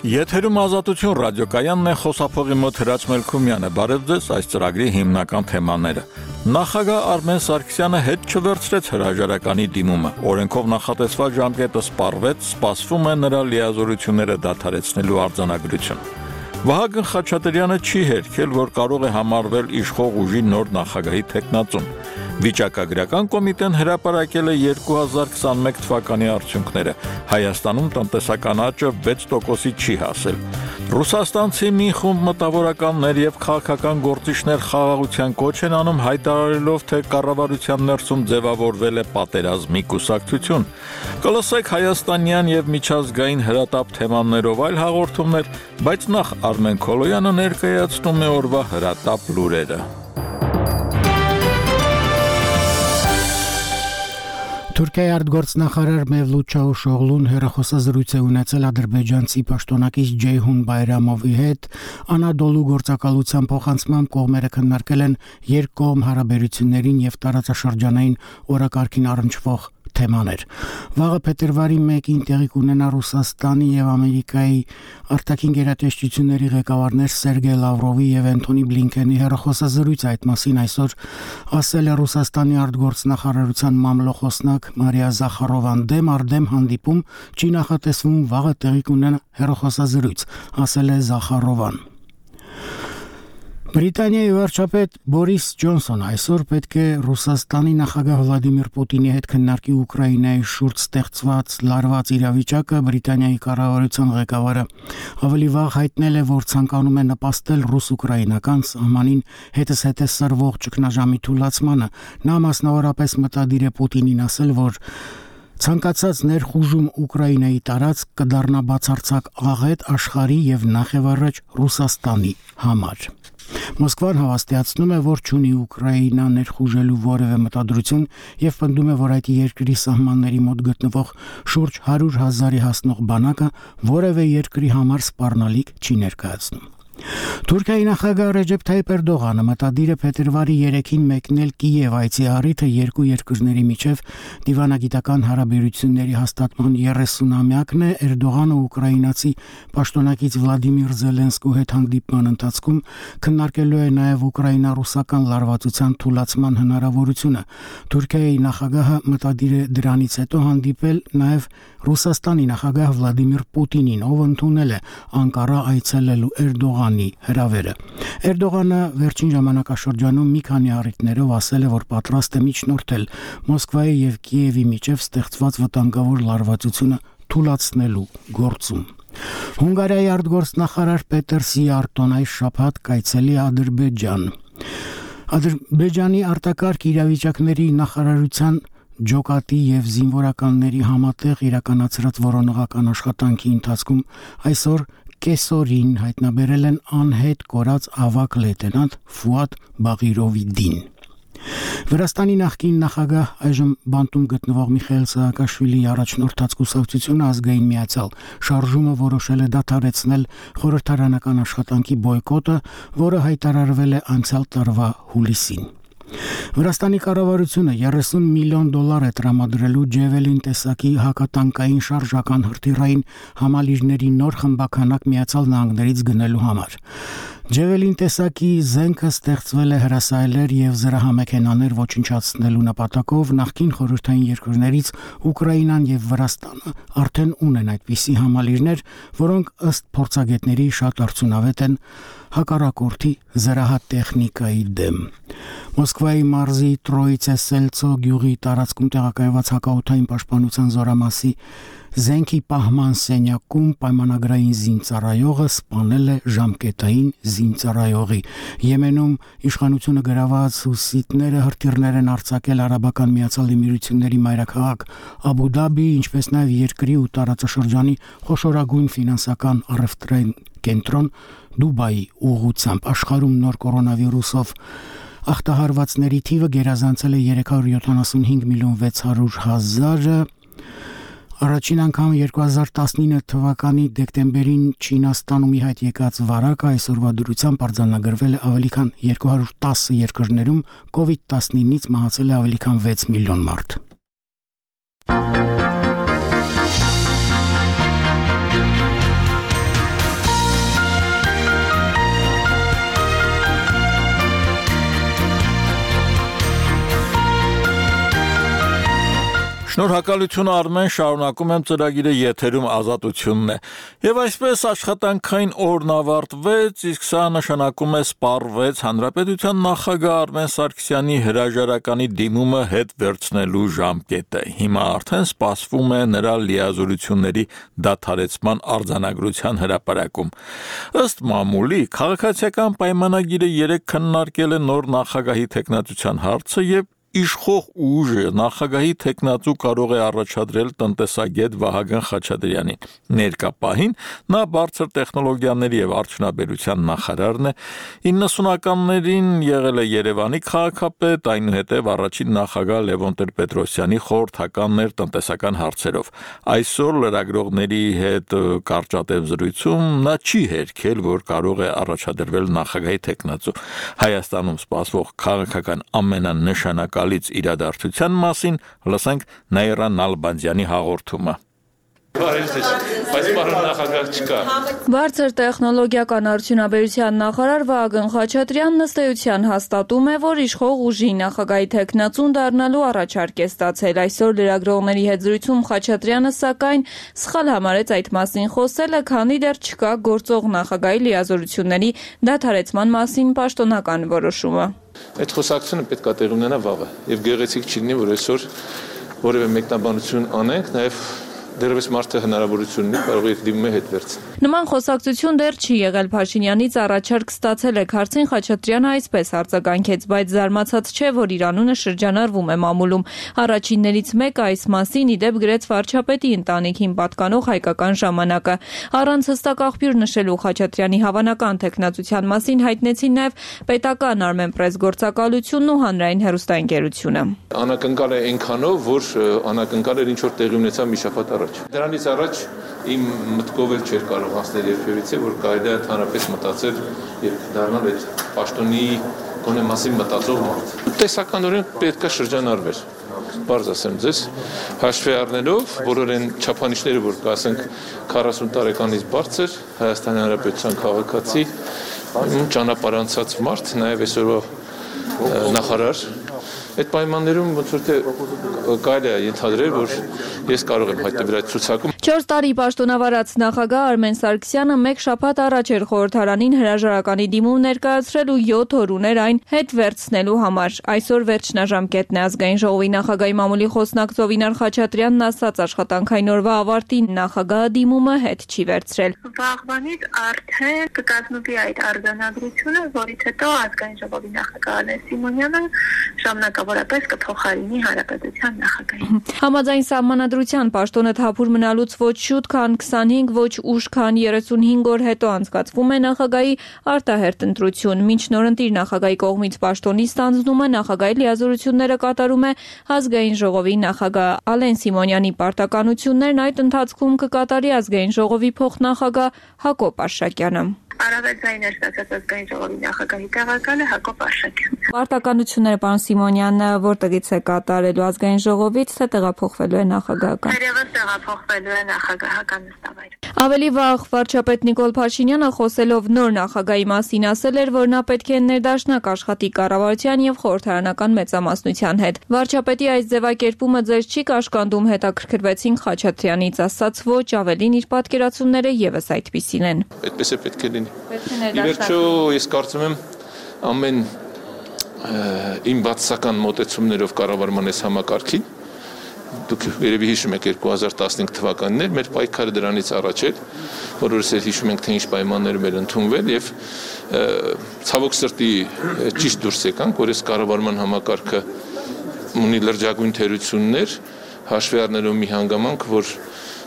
Եթերում Ազատություն ռադիոկայանն է, խոսափողի մոտ Հրաչ Մելքումյանը։ Բարև ձեզ, այս ծրագրի հիմնական թեմաները։ Նախագահ Արմեն Սարգսյանը հետ չվերցրեց հրաժարականի դիմումը։ Օրենքով նախատեսված ժամկետը սպառվեց, սպասվում է նրա լիազորությունները դադարեցնելու արձանագրություն։ Վահագն Խաչատրյանը չի հերքել, որ կարող է համարվել իշխող ուժի նոր նախագահի թեկնածուն։ Վիճակագրական կոմիտեն հրապարակել է 2021 թվականի արդյունքները։ Հայաստանում տնտեսական աճը 6%-ի չի հասել։ Ռուսաստանցի մի խումբ մտավորականներ եւ քաղաքական գործիչներ խաղաղության կոչ են անում, հայտարարելով, թե կառավարության ներսում ձևավորվել է պատերազմի կուսակցություն։ Կլսեք հայաստանյան եւ միջազգային հրատապ թեմաներով այլ հաղորդումներ, բայց նախ Արմեն Քոլոյանը ներկայացնում է օրվա հրատապ լուրերը։ Թուրքիայի արտգործնախարար Մևլութ Չավուշօղլուն հեռախոսազրույց է ունեցել ադրբեջանցի պաշտոնակից Ջեյհուն Բայրամովի հետ։ Անադոլու գործակալության փոխանցմամբ կողմերը քննարկել են երկկողմ հարաբերություններին եւ տարածաշրջանային օրակարգին առնչվող թեմաներ։ Վաղը փետրվարի 1-ին տեղի կունենա Ռուսաստանի եւ Ամերիկայի արտաքին գերատեսչությունների ղեկավարներ Սերգեյ Լավրովի եւ Անտոնի Բլինքենի հեռախոսազրույց այդ մասին այսօր ասել է Ռուսաստանի արտգործնախարարության մամլոխոսնակ Մարիա Զախարովան։ Դեմ առ դեմ հանդիպում չի նախատեսվում, վաղը տեղի կունենա հեռախոսազրույց, ասել է Զախարովան։ Բրիտանիայի վարչապետ Բորիս Ջոնսոնը այսօր պետք է Ռուսաստանի նախագահ Վլադիմիր Պուտինի հետ քննարկի Ուկրաինայի շուրջ ստեղծված լարված իրավիճակը։ Բրիտանիայի կառավարության ղեկավարը ավելի վաղ հայտնել է, որ ցանկանում է նպաստել ռուս-ուկրաինական սահմանին հետզհետե սրվող ճգնաժամի թուլացմանը։ Նա մասնավորապես մտադիր է Պուտինին ասել, որ ցանկացած ներխուժում Ուկրաինայի տարածք կդառնա բացարձակ աղետ աշխարհի եւ նախևառաջ Ռուսաստանի համար։ Մոսկվան հավաստիացնում է, որ չունի Ուկրաինա ներխուժելու որևէ մտադրություն եւ պնդում է, որ այդ երկրի սահմանների մոտ գտնվող շուրջ 100,000-ի հասնող բանակը որևէ երկրի համար սպառնալիք չի ներկայացնում։ Թուրքիայի նախագահ Ռեջեփ Թայիփ Էրդողանը մտադիր է փետրվարի 3-ին մեկնել Կիև, այցի առիթը երկու երկրների միջև դիվանագիտական հարաբերությունների հաստատման 30-ամյակն է։ Էրդողանը ուկրաինացի պաշտոնակից Վլադիմիր Զելենսկու հետ հանդիպման ընթացքում քննարկելու է նաև ուկրաինա-ռուսական լարվածության թուլացման հնարավորությունը։ Թուրքիայի նախագահը մտադիր է դրանից հետո հանդիպել նաև Ռուսաստանի նախագահ Վլադիմիր Պուտինին, ով ընդունել է Անկարա այցելելու Էրդողանի հրավերը։ Էրդողանը վերջին ժամանակաշրջանում մի քանի առիթներով ասել է, որ պատրաստ է միջնորդել Մոսկվայի եւ Կիևի միջև ստեղծված վտանգավոր լարվածությունը թուլացնելու գործում։ Հունգարիայի արտգործնախարար Պետեր Սիարտոն այս շաբաթ կայցելի Ադրբեջան։ Ադրբեջանի արտակարգ իրավիճակների նախարարության ջոկատի եւ զինվորականների համատեղ իրականացրած որոնողական աշխատանքի ընթացքում այսօր կեսօրին հայտնաբերել են անհետ կորած ավագ լեյտենանտ Ֆուադ Բաղիրովիդին։ Վրաստանի նախկին նախագահ այժմ բանտում գտնվող Միխայիլ Սահակաշվիլիի առաջնորդած կուսակցությունը ազգային միացյալ շարժումը որոշել է դադարեցնել խորհրդարանական աշխատանքի բոյկոտը, որը հայտարարվել է անցյալ տարվա հուլիսին։ Վրաստանի կառավարությունը $30 միլիոն է տրամադրելու Ջևելին տեսակի հակատանկային շարժական հրթիռային համալիրների նոր խմբականակ Միացյալ Նահանգներից գնելու համար։ Ջևելին տեսակի զենքը ստեղծվել է հրասայլեր եւ զրահամեքենաներ ոչնչացնելու նպատակով։ Նախկին խորհրդային երկրներից Ուկրաինան եւ Վրաստանը արդեն ունեն այդպիսի համալիրներ, որոնք ըստ փորձագետների շատ արդյունավետ են հակառակորդի զրահատեխնիկայի դեմ։ Մոսկվայի մարզի Տրոիցե-Սելցո գյուղի տարածքում տեղակայված հակաօդային պաշտպանության զորամասի զենքի պահման սենյակում պայմանագրային զինծառայողը սպանել է ժամկետային զինծառայողի։ Եմենում իշխանությունը գրաված հուսիտները հրթիռներ են արձակել Արաբական Միացյալ Էմիրությունների մայրաքաղաք Աբու Դաբի, ինչպես նաև երկրի ու տարածաշրջանի խոշորագույն ֆինանսական առևտրային կենտրոն Դուբայի ուղղությամբ։ Աշխարհում նոր կորոնավիրուսով ախտահարվածների թիվը գերազանցել է 375,600,000-ը։ Առաջին անգամ 2019 թվականի դեկտեմբերին Չինաստանում ի հայտ եկած վարակը այսօրվա դրությամբ արձանագրվել է ավելի քան 210 երկրներում, COVID-19-ից մահացել է ավելի քան 6 միլիոն մարդ։ Շնորհակալություն Արմեն, շարունակում եմ ծրագիրը եթերում ազատությունն է։ Եվ այսպես աշխատանքային օրն ավարտվեց, իսկ սա նշանակում է սպառվեց Հանրապետության նախագահ Արմեն Սարգսյանի հրաժարականի դիմումը հետ վերցնելու ժամկետը։ Հիմա արդեն սպասվում է նրա լիազորությունների դադարեցման արձանագրության հրապարակում։ Ըստ մամուլի, քաղաքացիական պայմանագիրը 3 քննարկել է նոր նախագահի թեկնածության հարցը եւ Իշխող ուժը նախագահի թեկնածու կարող է առաջադրել տնտեսագետ Վահագն Խաչատրյանին։ Ներկա պահին նա բարձր տեխնոլոգիաների եւ արդյունաբերության նախարարն է, 90-ականներին եղել է Երևանի քաղաքապետ, այնուհետև առաջին նախագահ Լևոն Տեր-Պետրոսյանի խորհրդականն էր տնտեսական հարցերով։ Այսօր լրագրողների հետ կարճատև զրույցում նա չի հերքել, որ կարող է առաջադրվել նախագահի թեկնածու։ Հայաստանում սպասվող քաղաքական ամենանշանակալից իրադարձության մասին լսենք Նաիրա Նալբանդյանի հաղորդումը։ Բարձր տեխնոլոգիական արդյունաբերության նախարար Վահագն Խաչատրյանն ըստ էության հաստատում է, որ իշխող ուժի նախագահի թեկնածուն դառնալու առաջարկ է ստացել։ Այսօր լրագրողների հետ զրույցում Խաչատրյանը սակայն սխալ համարեց այդ մասին խոսելը, քանի դեռ չկա գործող նախագահի լիազորությունների դադարեցման մասին պաշտոնական որոշումը։ Այդ խոսակցությունը պետք է տեղի ունենա վաղը եւ գեղեցիկ չլինի, որ այսօր որևէ մեկնաբանություն անենք, նաեւ դեռևս մարդը հնարավորություն ունի կարող է դիմում հետ վերցնել։ Նման խոսակցություն դեռ չի եղել Փաշինյանից առաջարկ ստացել է հարցին Խաչատրյանը այսպես արձագանքեց, բայց զարմացած չէ, որ իր անունը շրջանառվում է մամուլում։ Առաջիններից մեկը այս մասին իդեպ գրեց վարչապետի ընտանիքին պատկանող Հայկական ժամանակը։ Առանց հստակ աղբյուր նշելու Խաչատրյանի հավանական թեկնածության մասին հայտնեցին նաև պետական Armenpress գործակալությունն ու հանրային հեռուստաընկերությունը։ Անակնկալ է այնքանով, որ անակնկալ էր ինչ որ տեղի ունեցավ մի շաբաթ առաջ։ Դրանից առաջ իմ մտքով էլ չէր կարող հասնել երբևիցե, որ կարելի է հանրապես մտածել եւ դառնալ այդ պաշտոնի գոնե մասին մտածող մարդ։ Տեսականորեն պետք է շրջանառվեր։ Բարձ ասեմ ձեզ, հաշվի առնելով բոլոր այն չափանիշները, որ կասենք 40 տարեկանից բարձր Հայաստանի Հանրապետության քաղաքացի, ճանապարհանցած մարդ, նաեւ այսօրվա նախարար Այդ պայմաններում ոնց որ թե կարելի է ենթադրել, որ ես կարող եմ հայտնվել այդ ցուցակում։ 4 տարի պաշտոնավարած նախագահ Արմեն Սարգսյանը մեկ շաբաթ առաջ էր խորհրդարանին հրաժարականի դիմում ներկայացրել ու 7 օր ուներ այն հետ վերցնելու համար։ Այսօր վերջնաժամկետն է ազգային ժողովի նախագահի մամուլի խոսնակ Զովինար Խաչատրյանն ասաց աշխատանքային օրվա ավարտին նախագահը դիմումը հետ չի վերցրել։ Վաղվանից արդեն կկազմվի այդ արձանագրությունը, որից հետո ազգային ժողովի նախագահ Ալեն Սիմոնյանը ժամանակավորապես կփոխարինի Հանրապետության նախագահին։ Համաձայն սահմանադրության պաշտոնը թափուր մնալուց ոչ շուտ, քան 25, ոչ ուշ, քան 35 օր հետո անցկացվում է նախագահի արտահերթ ընտրություն։ Մինչ նորընտիր նախագահի կողմից պաշտոնի ստանձնումը նախագահի լիազորությունները կատարում է ազգային ժողովի նախագահ Ալեն Սիմոնյանի պարտականություններն այդ ընթացքում կկատարի ազգային ժողովի փոխնախագահ Հակոբ Արշակյանը։ Առավել ձայներ ստացած ազգային ժողովի նախագահի տեղակալը Հակոբ Արշակյանն։ Պարտականությունները պարոն Սիմոնյանը որտեղից է կատարելու ազգային ժողովից, թե տեղափոխվելու է նախագահական։ Երևս տեղափոխվելու է նախագահական նստավայր։ Ավելի վաղ վարչապետ Նիկոլ Փաշինյանը խոսելով նոր նախագահի մասին ասել էր, որ նա պետք է ներդաշնակ աշխատի կառավարության եւ խորհրդարանական մեծամասնության հետ։ Վարչապետի այս ձևակերպումը ձեզ չի կաշկանդում, հետաքրքրվեցին Խաչատրյանից, ասաց ոչ, ավելին իր պատկերացումները եւս այդպիսին են։ Այդպես է պետք է լինի։ Ի վերջո ես կարծում եմ ամեն իմ բացասական մոտեցումներով կառավարման այս համակարգին դուք երևի հիշում եք 2015 թվականին մեր պայքարը դրանից առաջ էր, որովհետեւ էլ հիշում ենք թե ինչ պայմաններում էր ընդունվել եւ ցավոք սրտի ճիշտ դուրս եկանք, որ այս կառավարման համակարգը ունի լրջագույն թերություններ, հաշվի առնելով մի հանգամանք, որ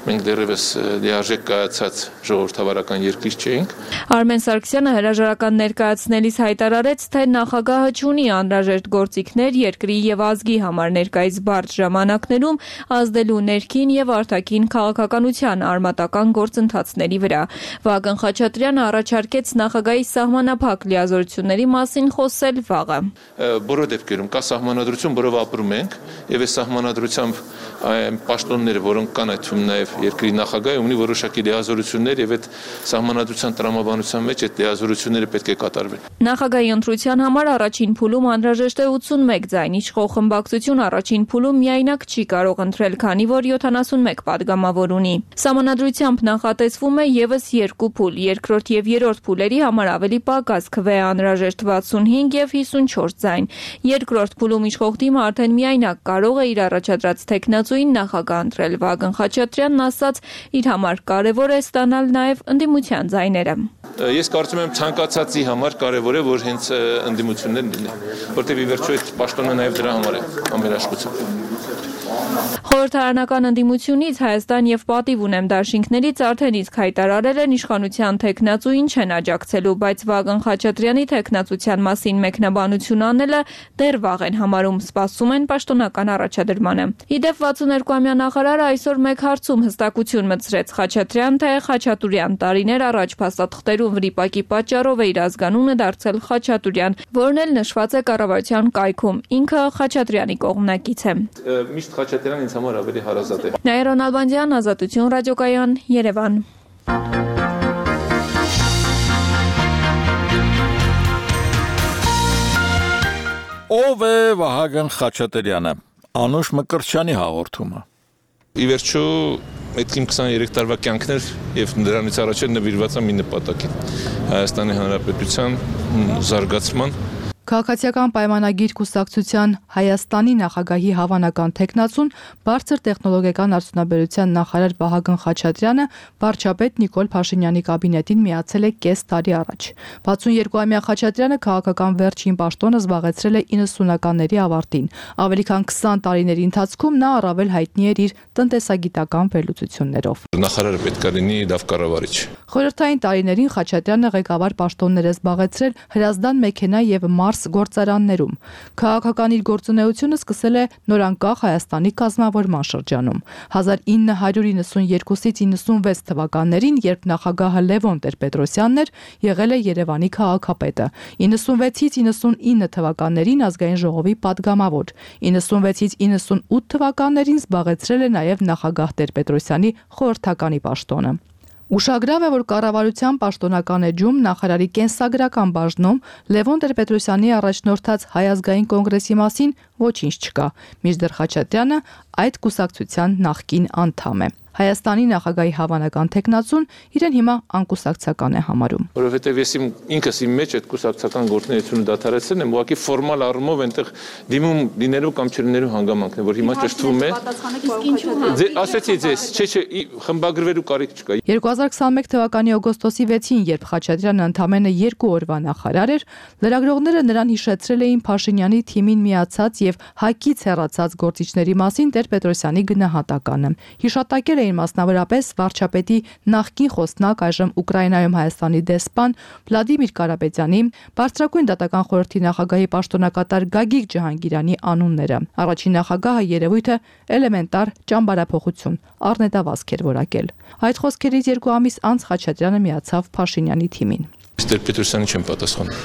մենք դեռևս լիարժեք կայացած ժողովրդավարական երկիր չէինք։ Արմեն Սարգսյանը հրաժարական ներկայացնելիս հայտարարեց, թե նախագահը չունի անհրաժեշտ գործիքներ երկրի եւ ազգի համար ներկայիս բարդ ժամանակներում ազդելու ներքին եւ արտաքին քաղաքականության արմատական գործընթացների վրա։ Վահագն Խաչատրյանը առաջարկեց նախագահի սահմանափակ լիազորությունների մասին խոսել վաղը։ Բոլոր դեպքերում կա սահմանադրություն, որով ապրում ենք, եւ այս սահմանադրությամբ այն պաշտոնները, որոնք կան այդ թվում նաեւ երկրի նախագահը ունի որոշակի լիազորություններ եւ այդ սահմանադրության տրամաբանության մեջ այդ լիազորությունները պետք է կատարվեն։ Նախագահի ընտրության համար առաջին փուլում անհրաժեշտ է 81 ձայն, իշխող խմբակցություն առաջին փուլում միայնակ չի կարող ընտրել, քանի որ 71 падգամավոր ունի։ Սահմանադրությամբ նախատեսվում է եւս 2 փուլ, երկրորդ եւ երրորդ փուլերի համար ավելի պակաս քվե անհրաժեշտ 65 եւ 54 ձայն։ Երկրորդ փուլում իշխող թիմը արդեն միայնակ կարող է իր առաջադրած թեկնածուին նախագահ ընտրել։ Վագն Խաչատրյանն ասաց, իր համար կարևոր է ստանալ նաեւ ընդդիմության ձայները։ Ես կարծում եմ ցանկացածի համար կարևոր է, որ հենց ընդդիմություններ լինեն, որտեղ ի վերջո այդ պաշտոնը նաեւ դրա համար է ամենաշխությամբ։ Խորհրդարանական ընդդիմությունից Հայաստան եւ Պատիվ ունեմ դաշինքներից արդեն իսկ հայտարարել են իշխանության թեկնածուին չեն աջակցելու, բայց Վագն Խաչատրյանի թեկնածության մասին մեկնաբանություն անելը դեռ վաղ են համարում, սպասում են պաշտոնական առաջադրմանը։ Իդեպ 62-ամյա նախարարը այսօր մեկ հարցում հստակություն մտցրեց Խաչատրյան, թե Խաչատուրյան տարիներ առաջ փաստաթղթերում վրիպակի պատճառով է իր ազգանունը դարձել Խաչատուրյան, որն էլ նշված է կառավարության կայքում։ Ինքը Խաչատրյանի կողմնակից է։ Միշտ Խաչատրյանն ինձ համար ավելի հարազատ է։ Նաիրա Նալբանդյան, Ազատություն ռադիոկայան, Երևան։ Ով է Վահագն Խաչատրյանը։ Անուշ Մկրտչյանի հաղորդումը։ Ի վերջո այդ իմ 23 տարվա կյանքն էր եւ դրանից առաջ նվիրված եմ մի նպատակին՝ Հայաստանի Հանրապետության զարգացման։ Քաղաքացիական պայմանագիր կուսակցության Հայաստանի նախագահի հավանական թեկնածուն բարձր տեխնոլոգիական արդյունաբերության նախարար Վահագն Խաչատրյանը վարչապետ Նիկոլ Փաշինյանի կաբինետին միացել է կես տարի առաջ։ 62-ամյա Խաչատրյանը քաղաքական վերջին պաշտոնը զբաղեցրել է 90-ականների ավարտին։ Ավելի քան 20 տարիների ընթացքում նա առավել հայտնի էր իր տնտեսագիտական վերլուծություններով։ Նախարարը պետք է լինի լավ կառավարիչ։ Խորհրդային տարիներին Խաչատրյանը ղեկավար պաշտոններ է զբաղեցրել Հրազդան մեքենա եւ գործարաններում։ Քաղաքական իր գործունեությունը սկսել է նորանկախ Հայաստանի կազմավորման շրջանում։ 1992-ից 96 թվականներին, երբ նախագահը Լևոն Տեր-Պետրոսյանն էր, եղել է Երևանի քաղաքապետը։ 96-ից 99 թվականներին ազգային ժողովի падգամավոր։ 96-ից 98 թվականներին զբաղեցրել է նաև նախագահ Տեր-Պետրոսյանի խորհրդականի պաշտոնը։ Ուշագրավ է, որ կառավարության պաշտոնական էջում նախարարի կենսագրական բաժնում Լևոն Տեր-Պետրոսյանի առաջնորդած Հայ ազգային կոնգրեսի մասին ոչինչ չկա, մինչդեռ Խաչատրյանը այդ կուսակցության նախկին անդամ է։ Հայաստանի նախագահի հավանական թեկնածուն իրեն հիմա անկուսակցական է համարում։ Որովհետև ես ինքս իմ մեջ այդ կուսակցական գործունեությունը դադարեցրել եմ, ուղղակի ֆորմալ առումով այնտեղ դիմում լինելու կամ չլինելու հանգամանքն է, որ հիմա ճշտվում է։ Ասեցի ձեզ, չէ, խմբագրվելու կարիք չկա։ 2021 թվականի օգոստոսի 6-ին, երբ Խաչատրյանը ընդամենը 2 օրվա նախարար էր, լրագրողները նրան հիշեցրել էին Փաշինյանի թիմին միացած եւ ՀԱԿ-ից հեռացած գործիչների մասին Տեր-Պետրոսյանի գնահատականը։ Հիշատակել էին մասնավորապես վարչապետի նախկին խոսնակ, այժմ Ուկրաինայում Հայաստանի դեսպան Վլադիմիր Կարապետյանի, բարձրագույն դատական խորհրդի նախագահի պաշտոնակատար Գագիկ Ջահանգիրյանի անունները։ Առաջին նախագահը երևույթը էլեմենտար ճամբարափոխություն, առնետավազք էր որակել։ Այդ խոսքերից 2 ամիս անց Խաչատրյանը միացավ Փաշինյանի թիմին։ Տեր-Պետրոսյանի չեմ պատասխանում։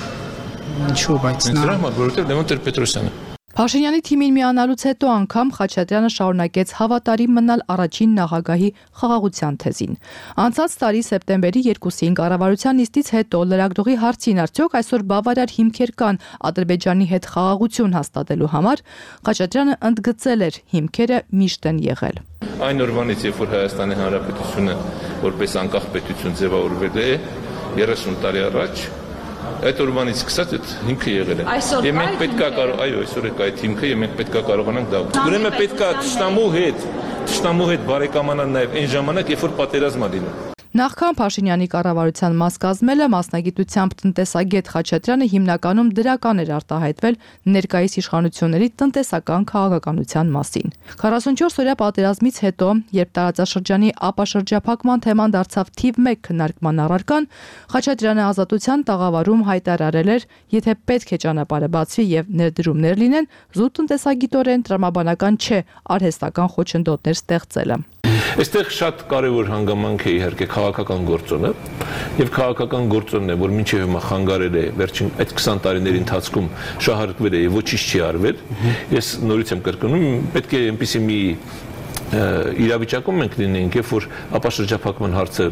Ինչու՞ բայց նա, որովհետև Լևոն Տեր-Պետրոսյանը։ Փաշինյանի թիմին միանալուց հետո անգամ Խաչատրյանը շարունակեց հավատարիմ մնալ առաջին նախագահի խաղաղության թեզին։ Անցած տարի սեպտեմբերի 2-ին կառավարության նիստից հետո լրագրողի հարցին արդյոք այսօր բավարար հիմքեր կան Ադրբեջանի հետ խաղաղություն հաստատելու համար, Խաչատրյանը ընդգծել էր՝ հիմքերը միշտ են եղել։ Այն օրվանից, երբ որ Հայաստանի Հանրապետությունը որպես անկախ պետություն ձևավորվել է 30 տարի առաջ, այդ օրվանից սկսած այդ հիմքը եղել է։ Եվ մենք պետք է այսօր է այդ հիմքը եւ մենք պետք է կարողանանք դա։ Ուրեմն պետք է թշնամու հետ բարեկամանալ նաեւ այն ժամանակ, երբ որ պատերազմ է լինում։ Նախքան Փաշինյանի կառավարության մաս կազմելը մասնագիտությամբ տնտեսագետ Խաչատրյանը հիմնականում դրական էր արտահայտվել ներկայիս իշխանությունների տնտեսական քաղաքականության մասին։ 44-օրյա պատերազմից հետո, երբ տարածաշրջանի ապաշրջափակման թեման դարձավ թիվ 1 քննարկման առարկան, Խաչատրյանը Ազատության տաղավարում հայտարարել էր, եթե պետք է ճանապարհը բացվի եւ ներդրումներ լինեն, զուտ տնտեսագիտորեն տրամաբանական չէ արհեստական խոչընդոտներ ստեղծելը։ Այստեղ շատ կարևոր հանգամանք է իհարկե քաղաքական գործոնը եւ քաղաքական գործոնն է, որ մինչեւ հիմա խանգարել է վերջին այդ 20 տարիների ընթացքում շահարկվել է եւ ոչինչ չի արվել։ Ես նորից եմ կրկնում, պետք է այնպեսի մի իրավիճակում մենք լինենք, երբ որ ապաշրջափակման հարցը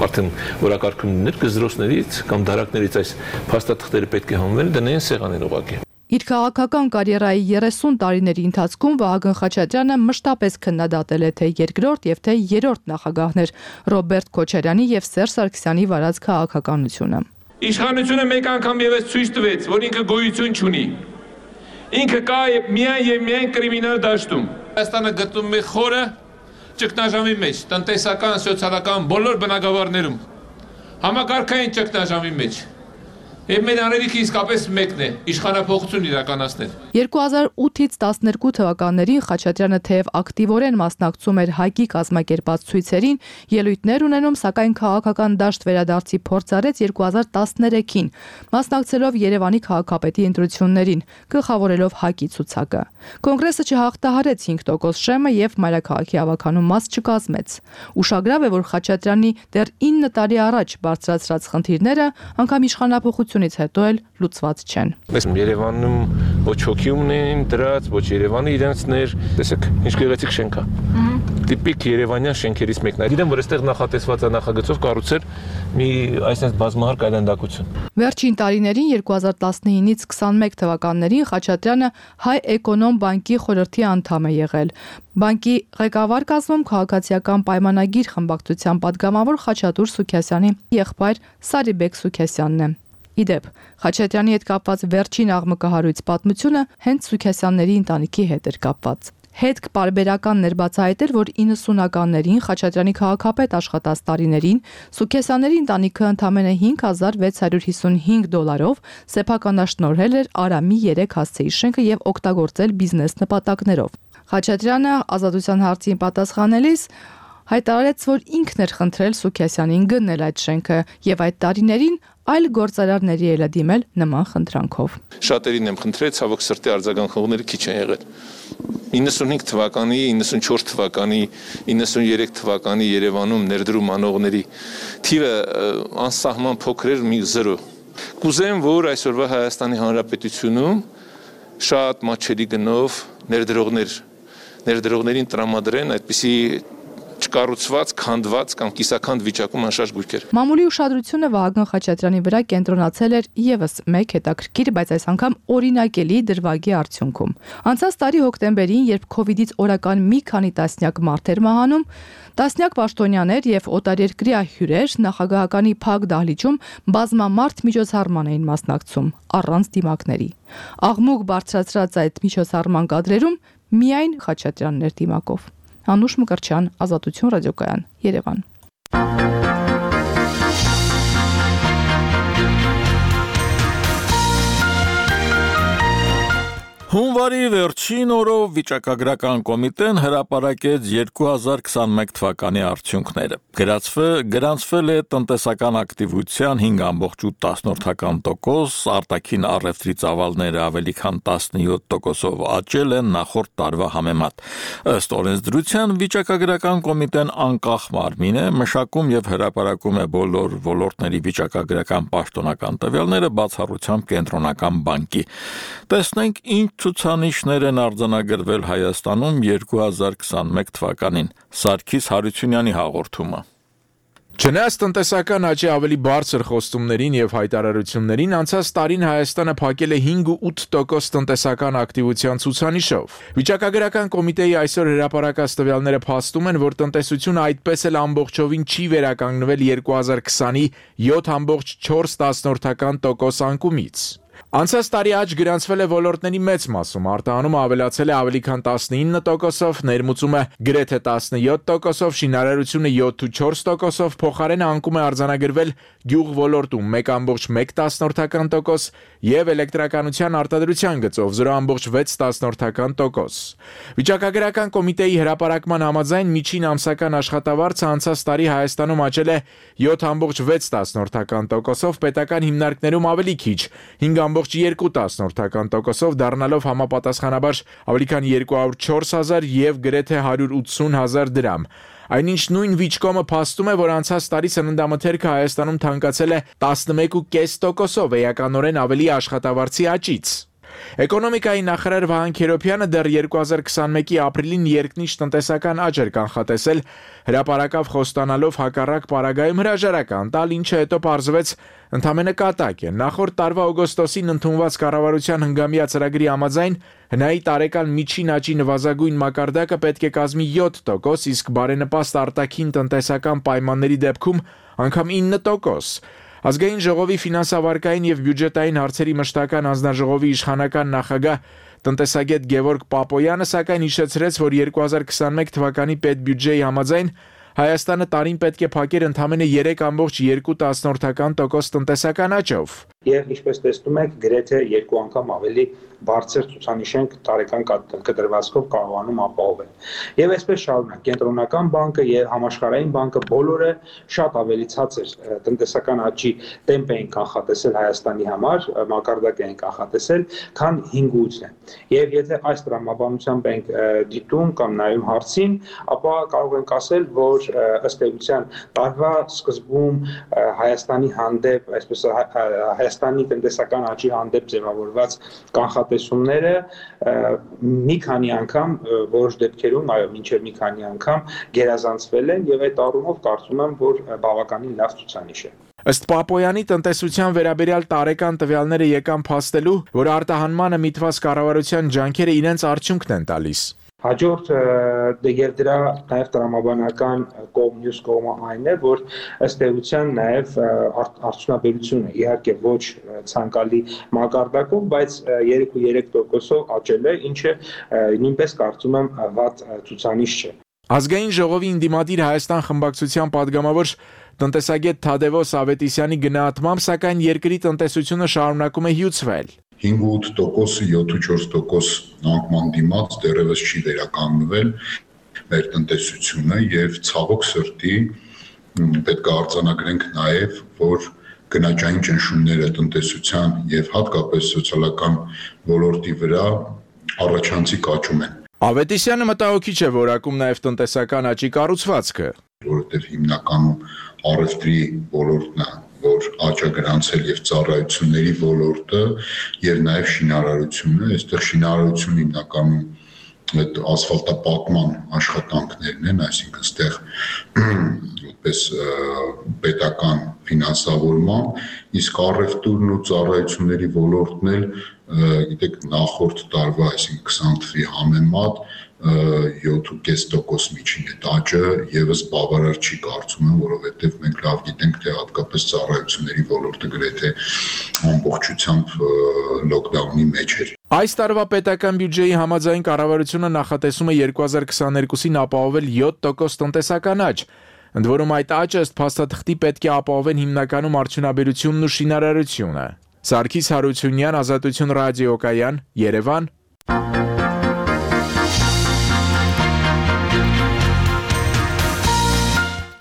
արդեն օրակարգում լիներ, գզրոցներից կամ դարակներից այս փաստաթղթերը պետք է հանվեն, դնեն սեղանին ուղղակի։ Իր քաղաքական կարիերայի 30 տարիների ընթացքում Վահագն Խաչատրյանը մշտապես քննադատել է թե երկրորդ եւ թե երրորդ նախագահներ Ռոբերտ Քոչարյանի եւ Սերժ Սարգսյանի վարած քաղաքականությունը։ Իշխանությունը մեկ անգամ եւս ցույց տվեց, որ ինքը գոյություն չունի։ Ինքը կա միայն եւ միայն կրիմինալ դաշտում։ Հայաստանը գտնվում է խորը ճգնաժամի մեջ, տնտեսական, սոցիալական բոլոր բնագավառներում։ Համակարգային ճգնաժամի մեջ։ Եվ մեր անելիքը իսկապես մեկն է՝ իշխանափոխություն իրականացնել։ 2008-ից 12 թվականներին Խաչատրյանը թեև ակտիվորեն մասնակցում էր ՀԱԿ-ի կազմակերպած ցույցերին, ելույթներ ունենում, սակայն քաղաքական դաշտ վերադարձի փորձ արեց 2013-ին, մասնակցելով Երևանի քաղաքապետի ընտրություններին, գլխավորելով ՀԱԿ-ի ցուցակը։ Կոնգրեսը չհաղթահարեց 5% շեմը եւ մայրաքաղաքի ավականու մաս չկազմեց։ Ուշագրավ է, որ Խաչատրյանի դեռ 9 տարի առաջ բարձրացրած խնդիրները անգամ իշխանափոխությունից հետո էլ լուծված չեն։ Երևանում ոչ հոգի ունեն դրած, ոչ Երևանը իրենցներ, տեսեք, ինչ գեղեցիկ շենք է։ Տիպիկ երևանյան շենքերից մեկն է։ Գիտեմ, որ այստեղ նախատեսված է նախագծով կառուցել մի այսպես բազմահարկ այլանդակություն։ Վերջին տարիներին 2019-ից 21 թվականներին Խաչատրյանը Հայ Էկոնոմ բանկի խորհրդի անդամ է եղել։ Բանկի ղեկավար կազմում քաղաքացիական պայմանագիր խմբակցության падգամավոր Խաչատուր Սուքիասյանի եղբայր Սարիբեկ Սուքիասյանն է։ Իդեպ, Խաչատրյանի հետ կապված վերջին աղմկահարույց պատմությունը հենց Սուքիասյանների ընտանիքի հետ էր կապված։ Հետք պարբերական ներբացահայտել, որ 90-ականներին Խաչատրյանի քաղաքապետ աշխատած տարիներին Սուքիասյանների ընտանիքը ընդամենը $5,655 սեփականաշնորհել էր Արամի 3 հասցեի շենքը եւ օգտագործել բիզնես նպատակներով։ Խաչատրյանը ազատության հարցին պատասխանելիս հայտարարեց, որ ինքն էր խնդրել Սուքիասյանին գնել այդ շենքը եւ այդ տարիներին այլ գործարարների էլ դիմել նման խնդրանքով։ Շատերին եմ խնդրել, ցավոք սրտի արձագանքողները քիչ են եղել։ 95 թվականի, 94 թվականի, 93 թվականի Երևանում ներդրում անողների թիվը անսահման փոքր էր, մի 0։ Կուզեմ, որ այսօրվա Հայաստանի Հանրապետությունում շատ մատչելի գնով ներդրողներին տրամադրեն այդպիսի չկառուցված, քանդված կամ կիսաքանդ վիճակում անշարժ գույքեր։ Մամուլի ուշադրությունը Վահագն Խաչատրյանի վրա կենտրոնացել էր եւս մեկ հետաքրքիր, բայց այս անգամ օրինակելի դրվագի արդյունքում։ Անցած տարի հոկտեմբերին, երբ COVID-ից օրական մի քանի տասնյակ մարդ էր մահանում, տասնյակ պաշտոնյաներ եւ օտարերկրյա հյուրեր նախագահականի փակ դահլիճում բազմամարդ միջոցառման էին մասնակցում առանց դիմակների։ Աղմուկ բարձրացրած այդ միջոցառման կադրերում միայն Խաչատրյանն էր դիմակով։ Անուշ Մկրտչյան, Ազատություն ռադիոկայան, Երևան։ Հունվարի վերջին օրով վիճակագրական կոմիտեն հրապարակեց 2021 թվականի արդյունքները։ Գրանցվել է տնտեսական ակտիվության 5.8%, արտաքին առևտրի ծավալները ավելի քան 17%-ով աճել են նախորդ տարվա համեմատ։ Ըստ օրենսդրության վիճակագրական կոմիտեն անկախ մարմին է, մշակում եւ հրապարակում է բոլոր ոլորտների վիճակագրական պաշտոնական տվյալները բացառությամբ կենտրոնական բանկի։ Տեսնենք ինչ ցուցանիշներ են արձանագրվել Հայաստանում 2021 թվականին։ Սարգիս Հարությունյանի հաղորդումը։ Չնայած տնտեսական աճի ավելի բարձր խոստումներին եւ հայտարարություններին, անցած տարին Հայաստանը փակել է 5.8% տնտեսական ակտիվության ցուցանիշով։ Վիճակագրական կոմիտեի այսօր հրապարակած տվյալները փաստում են, որ տնտեսությունը այդպես էլ ամբողջովին չի վերականգնվել 2020-ի 7.4% անկումից։ Անցած տարի աճ գրանցվել է ոլորտների մեծ մասում, արտահանումը ավելացել է ավելի քան 19%-ով, ներմուծումը գրեթե 17%-ով, շինարարությունը 7.4%-ով, փոխարենը անկում է արձանագրվել գյուղ ոլորտում 1.1% եւ էլեկտրականության արտադրության գծով 0.6%։ Վիճակագրական կոմիտեի հրապարակման համաձայն միջին ամսական աշխատավարձը անցած տարի Հայաստանում աճել է 7.6%-ով, պետական հիմնարկներում ավելի քիչ 5.2%-ով դառնալով համապատասխանաբար ավելի քան 204,000 եւ գրեթե 180,000 դրամ։ Այնինչ նույն վիճկոմը փաստում է, որ անցած տարի սննդամթերքը Հայաստանում թանկացել է 11.5%-ով էականորեն ավելի աշխատավարձի աճից։ Էկոնոմիկայի նախարար Վահան Քերոբյանը դեռ 2021-ի ապրիլին երկնիշ տնտեսական աճ էր կանխատեսել, հրապարակավ խոստանալով հակառակ պարագայում հրաժարական տալ, ինչը հետո պարզվեց ընդամենը կատակ է։ Նախորդ տարվա օգոստոսին ընդունված կառավարության հնգամյա ծրագրի համաձայն հնայի տարեկան միջին աճի նվազագույն մակարդակը պետք է կազմի 7%, իսկ բարենպաստ արտաքին տնտեսական պայմանների դեպքում անգամ 9%։ Ազգային ժողովի ֆինանսավարկային եւ բյուջետային հարցերի մշտական հանձնաժողովի իշխանական նախագահ տնտեսագետ Գևորգ Պապոյանը սակայն հիշեցրեց, որ 2021 թվականի պետբյուջեի համաձայն Հայաստանը տարին պետք է փակեր ընդամենը 3.2% տնտեսական աճով։ Եվ ինչպես տեսնում եք, գրեթե 2 անգամ ավելի բարձր ցուցանիշ ենք տարեկան կտրվածքով կարողանում ապահովել։ Եվ այսպես շարունակ, կենտրոնական բանկը եւ համաշխարհային բանկը բոլորը շատ ավելի ցածր տնտեսական աճի տեմպ էին կանխատեսել Հայաստանի համար, մակարդակ էին կանխատեսել, քան 5.8-ն է։ Եվ եթե այս տրամաբանությամբ ենք դիտում կամ նայում հարցին, ապա կարող ենք ասել, որ ըստ էության տարվա սկզբում Հայաստանի հանդեպ, այսպես Հայաստանի տնտեսական աճի հանդեպ ձևավորված կանխատեսումները մի քանի անգամ որոշ դեպքերում, այո, մինչև մի քանի անգամ գերազանցվել են եւ այդ առումով կարծում եմ, որ բավականին լավ ցուցանիշ է։ Ըստ Պապոյանի տնտեսության վերաբերյալ տարեկան տվյալները եկան փաստելու, որ արտահանմանը միտված կառավարության ջանքերը իրենց արդյունքն են տալիս։ Հաջորդ եւ դրա նաև տրամաբանական մյուս կողմը այն է, որ ըստ էության նաև արդյունաբերությունը իհարկե ոչ ցանկալի մակարդակով, բայց 3.3%-ով աճել է, ինչը նույնպես կարծում եմ վատ ցուցանիշ չէ։ Ազգային ժողովի ընդդիմադիր Հայաստան խմբակցության падգամավոր տնտեսագետ Թադևոս Ավետիսյանի գնահատմամբ, սակայն երկրի տնտեսությունը շարունակում է հյուծվել։ 5.8%, 7.4% անկման դիմաց դեռևս չի վերականգնվել մեր տնտեսությունը եւ ցավոք սրտի պետք է արձանագրենք նաեւ, որ գնաճային ճնշումները տնտեսության եւ հատկապես սոցիալական ոլորտի վրա առաջանցիկ աճում են։ Ավետիսյանը մտահոգիչ է որակում նաեւ տնտեսական աճի կառուցվածքը, որովհետեւ հիմնականում առևտրի ոլորտն է, որ աճ է գրանցել եւ ծառայությունների ոլորտը եւ նաեւ շինարարությունը, այստեղ շինարարությունը հիմնականում այդ ասֆալտապատման աշխատանքներն են, այսինքն այստեղ որպես պետական ֆինանսավորման, իսկ առևտուրն ու ծառայությունների ոլորտն էլ գիտեք նախորդ տարվա, այսինքն 20 թվականի համեմատ 7.5% միջին է աճը եւս բավարար չի կարծում եմ, որովհետեւ մենք լավ գիտենք, թե հատկապես ծառայությունների ոլորտը գրեթե ամբողջությամբ լոկդաունի մեջ էր։ Այս տարվա պետական բյուջեի համաձայն կառավարությունը նախատեսում է 2022-ին ապահովել 7% տնտեսական աճ։ Ընդ որում այդ աճը ըստ փաստաթղթի պետք է ապահովեն հիմնականում արդյունաբերությունն ու շինարարությունը։ Սարգիս Հարությունյան, Ազատություն ռադիոկայան, Երևան։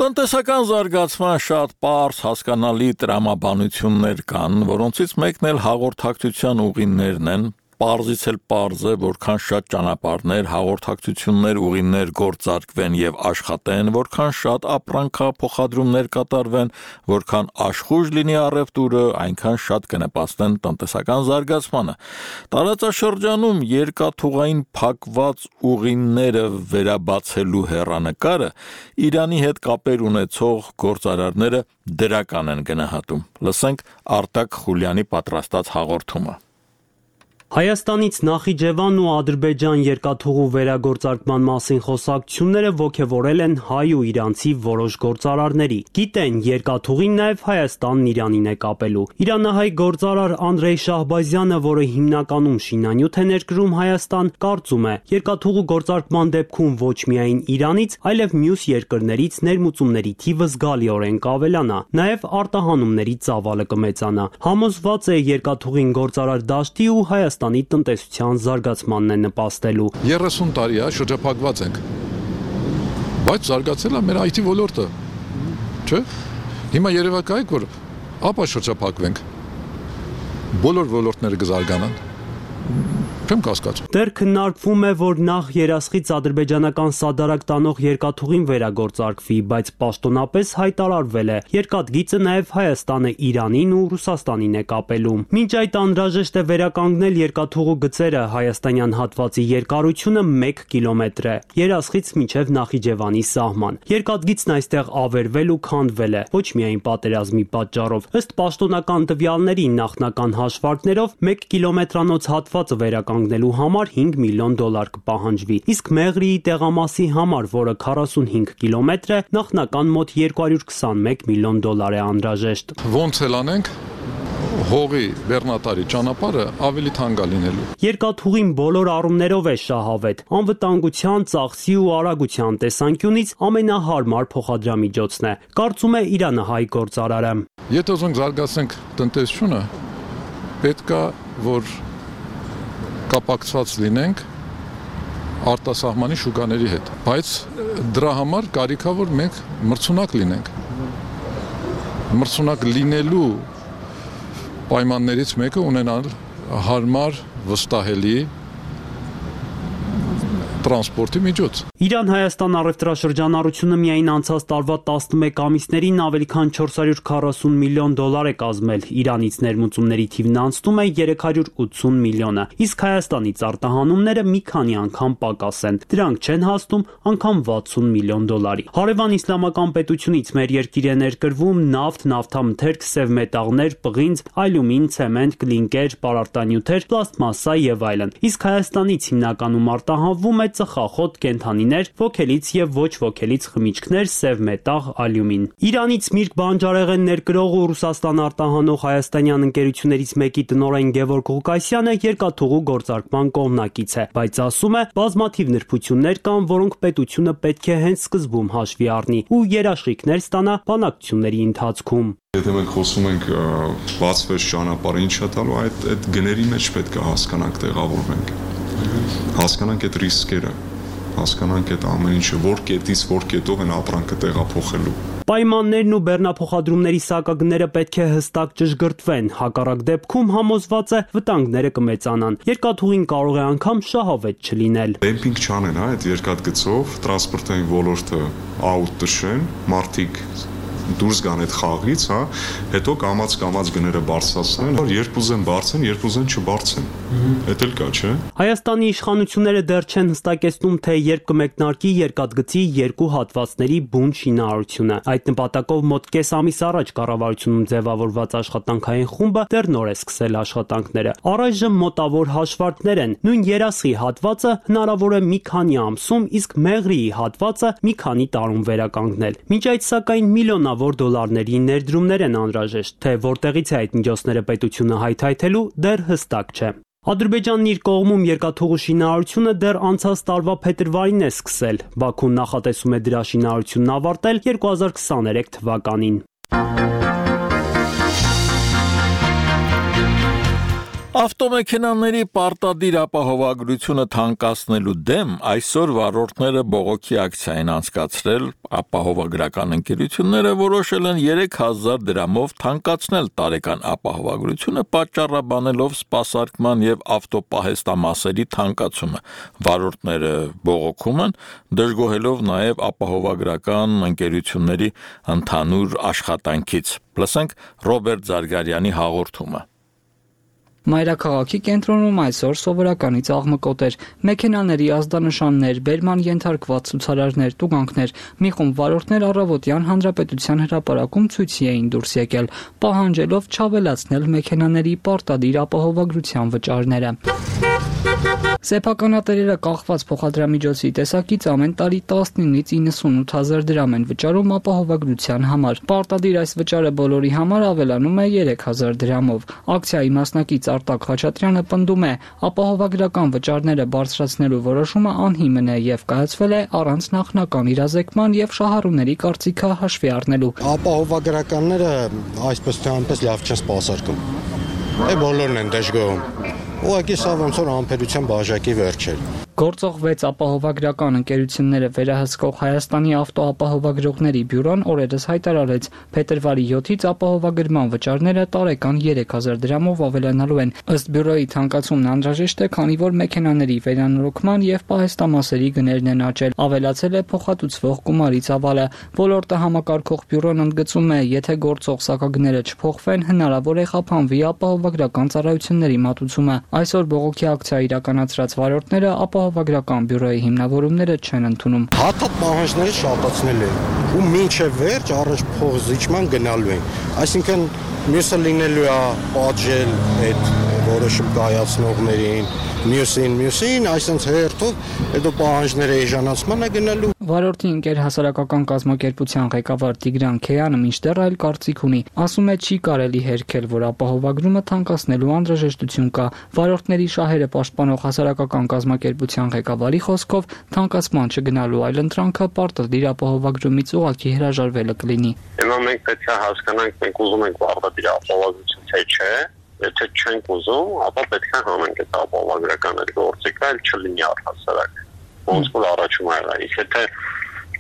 Տնտեսական զարգացման շատ պարզ հասկանալի տրամաբանություններ կան, որոնցից մեկն էլ հաղորդակցության ուղիներն են, պարզից էլ պարզ է, որքան շատ ճանապարհներ, հաղորդակցություններ, ուղիներ գործարկվեն եւ աշխատեն, որքան շատ ապրանքափոխադրումներ կատարվեն, որքան աշխույժ լինի առևտուրը, այնքան շատ կնպաստեն տնտեսական զարգացմանը։ Տարածաշրջանում երկաթուղային փակված ուղիները վերաբացելու հեռանկարը Իրանի հետ կապեր ունեցող գործարարները դրական են գնահատում։ Լսենք Արտակ Խուլյանի պատրաստած հաղորդումը։ Հայաստանից Նախիջևան ու Ադրբեջան երկաթուղու վերագործարկման մասին խոսակցությունները ոգևորել են հայ ու իրանցի որոշ գործարարների։ Գիտեն, երկաթուղին նաև Հայաստանն Իրանին է կապելու։ Իրանահայ գործարար Անդրեյ Շահբազյանը, որը հիմնականում շինանյութ է ներկրում Հայաստան, կարծում է, երկաթուղու գործարկման դեպքում ոչ միայն Իրանից, այլև մյուս երկրներից ներմուծումների թիվը զգալիորեն կավելանա, նաև արտահանումների ծավալը կմեծանա։ Համոզված է երկաթուղին գործարար դաշտի ու Հայաստանի տնտեսության զարգացմանն է նպաստելու։ 30 տարի է շրջափակված ենք, բայց զարգացել է մեր IT ոլորտը, չէ՞։ Հիմա երևակայեք, որ ապա շրջափակվենք, բոլոր ոլորտները կզարգանան, Չեմ կասկածում։ Դեռ քննարկվում է, որ նախ երասխից ադրբեջանական սադարակ տանող երկաթուղին վերագործարկվի, բայց պաշտոնապես հայտարարվել է, երկաթգիծը նաև Հայաստանը Իրանին ու Ռուսաստանին է կապելու։ Մինչ այդ անհրաժեշտ է վերականգնել երկաթուղու գծերը, հայաստանյան հատվածի երկարությունը 1 կիլոմետր է, երասխից մինչև Նախիջևանի սահման։ Երկաթգիծն այստեղ ավերվել ու քանդվել է, ոչ միայն պատերազմի պատճառով։ Ըստ պաշտոնական տվյալների նախնական հաշվարկներով 1 կիլոմետրանոց հատվածը վերականգնելու համար $5 միլիոն կպահանջվի, իսկ Մեղրիի տեղամասի համար, որը 45 կիլոմետր է, նախնական մոտ $221 միլիոն է անհրաժեշտ։ Ոնց էլ անենք, հողի բեռնատարի ճանապարհը ավելի թանկ է լինելու։ Երկաթուղին բոլոր առումներով է շահավետ, անվտանգության, ծախսի ու արագության տեսանկյունից ամենահարմար փոխադրամիջոցն է, կարծում է Իրանահայ գործարարը։ Եթե ուզենք զարգացնենք տնտեսությունը, պետք է որ կապակցված լինենք արտասահմանի շուկաների հետ, բայց դրա համար կարիք է որ մենք մրցունակ լինենք։ Մրցունակ լինելու պայմաններից մեկը ունենալ հարմար, վստահելի տրանսպորտի միջոց։ Իրան-Հայաստան առևտրաշրջանառությունը միայն անցած տարվա 11 ամիսներին ավելի քան $440 միլիոն է կազմել, Իրանից ներմուծումների թիվն անցնում է 380 միլիոնը, իսկ Հայաստանից արտահանումները մի քանի անգամ պակաս են, դրանք չեն հասնում անգամ $60 միլիոն։ Հարևան իսլամական պետությունից մեր երկիր է ներկրվում նավթ, նավթամթերք, սև մետաղներ, պղինձ, ալյումին, ցեմենտ, կլինկեր, պարարտանյութեր, պլաստմասսա եւ այլն, իսկ Հայաստանից հիմնականում արտահանվում է ծխախոտ, կենդանիներ, ոգելից եւ ոչ ոգելից խմիչքներ, սև մետաղ, ալյումին։ Իրանից միրգ բանջարեղեն ներկրող ու Ռուսաստան արտահանող հայաստանյան ընկերություններից մեկի տնօրեն Գևորգ Ղուկասյանը երկաթուղու գործարկման կողմնակից է, բայց ասում է, բազմաթիվ նրբություններ կան, որոնք պետությունը պետք է հենց սկզբում հաշվի առնի ու երաշխիքներ ստանա բանակցությունների ընթացքում։ Եթե մենք խոսում ենք բացվեց ճանապարհը, ինչ է տալու, այդ գների մեջ պետք է հասկանանք, տեղավորվենք։ Հասկանանք այդ ռիսկերը, հասկանանք այդ ամեն ինչը, որ կետից որ կետով են ապրանքը տեղափոխելու։ Պայմաններն ու բեռնափոխադրումների սակագները պետք է հստակ ճշգրտվեն, հակառակ դեպքում համոզված է վտանգները կմեծանան։ Երկաթուղին կարող է անգամ շահավետ չլինել։ Դեմպինգ չանեն, այդ երկաթգծով տրանսպորտային ոլորտը աուտ տշեն, մարդիկ դուրս գան այդ խաղից, հետո կամաց գները բարձրացնեն, երբ ուզեն բարձեն, երբ ուզեն չբարձեն։ Էդ էլ կա, չէ՞։ Հայաստանի իշխանությունները դեռ չեն հստակեցնում, թե երբ կմեկնարկի երկաթգծի երկու հատվածների բուն շինարարությունը։ Այդ նպատակով մոտ կես ամիս առաջ կառավարությունում ձևավորված աշխատանքային խումբը դեռ նոր է սկսել աշխատանքները։ Առայժմ մոտավոր հաշվարկներ են, նույն երասխի հատվածը հնարավոր է մի քանի ամսում, իսկ Մեղրիի հատվածը մի քանի տարում վերականգնել։ Մինչ այդ սակայն միլիոնավոր դոլարների ներդրումներ են անհրաժեշտ, թե որտեղից է այդ միջոցները պետությունը հայթայթելու, դեռ հստակ չէ։ Ադրբեջանն իր կողմում երկաթուղու շինարարությունը դեռ անցած տարվա փետրվարին է սկսել։ Բաքուն նախատեսում է դրա շինարարությունն ավարտել 2023 թվականին։ Ավտոմեքենաների պարտադիր ապահովագրությունը թանկացնելու դեմ այսօր վարորդները բողոքի ակցիա են անցկացրել, ապահովագրական ընկերությունները որոշել են 3000 դրամով թանկացնել տարեկան ապահովագրությունը, պատճառաբանելով սպասարկման եւ ավտոպահեստամասերի թանկացումը։ Վարորդները բողոքում են, դժգոհելով նաեւ ապահովագրական ընկերությունների ընդհանուր աշխատանքից։ Լսենք Ռոբերտ Զարգարյանի հաղորդումը։ Մայրաքաղաքի կենտրոնում այսօր սովորականից աղմկոտ էր։ Մեքենաների ազդանշաններ, բերման ենթարկված ցուցարարներ, տուգանքներ, մի խումբ վարորդներ առավոտյան Հանրապետության հրապարակում ցույցի էին դուրս եկել, պահանջելով չավելացնել մեքենաների պարտադիր ապահովագրության վճարները։ Սեփականատերերը կախված փոխադրամիջոցի տեսակից ամեն տարի 19-ից 98 հազար դրամ են վճարում ապահովագրության համար։ Պարտադիր այս վճարը բոլորի համար ավելանում է 3000 դրամով։ Ակցիայի մասնակից Արտակ Խաչատրյանը պնդում է, ապահովագրական վճարները բարձրացնելու որոշումը անհիմն է եւ կայացվել է առանց նախնական իրազեկման եւ շահառուների կարծիքը հաշվի առնելու։ Ապահովագրականները այսպես թե այնպես լավ չեն սպասարկում։ Բոլորն են դժգոհում։ Ուղղակի սա ոնց որ անփերության բաժակի վերջ է։ Գործող 6 ապահովագրական ընկերությունները վերահսկող Հայաստանի ավտոապահովագրողների բյուրոն օրերս հայտարարեց, փետրվարի 7-ից ապահովագրման վճարները տարեկան 3000 դրամով ավելանալու են։ Ըստ բյուրոյի թանկացումն անհրաժեշտ է, քանի որ մեքենաների վերանորոգման եւ պահեստամասերի գներն են աճել։ Ավելացել է փոխհատուցվող գումարի ծավալը։ Ոլորտը համակարգող բյուրոն ընդգծում է, եթե գործող սակագները չփոխվեն, հնարավոր է խափանվի ապահովագրական ծառայությունների մատուցումը։ Այսօր բողոքի ակցիա իրականացրած վարորդները ապահովագրական բյուրոյի հիմնավորումները չեն ընդունում։ Հատատ պահանջները շատացնել են ու մինչև վերջ առաջ փոխզիջման գնալու են։ Այսինքն մյուսը լինելու է պատժել այդ որոշում կայացնողներին, մյուսին, այսինքն հերթով հետո պահանջները էժանացման է գնալու։ Վարորդի ընկեր հասարակական կազմակերպության ղեկավար Տիգրան Քեյանը մինչդեռ այլ կարծիք ունի։ Ասում է, չի կարելի հերքել, որ ապահովագրումը թանկացնելու անհրաժեշտություն կա։ Վարորդների շահերը պաշտպանող հասարակական կազմակերպության ղեկավարի խոսքով թանկացման չգնալու այլընտրանքը պարտադիր ապահովագրումից ուղղակի հրաժարվելը կլինի։ Հիմա մենք պետք է հասկանանք, մենք ուզում ենք պարտադիր ապահովագրություն թե չէ։ Եթե չենք ուզում, ապա պետք է հանենք այդ ապահովագրական այդ գործիքը, այլ չլինի առհասարակ։ Ոնց որ առաջում ա եղել, եթե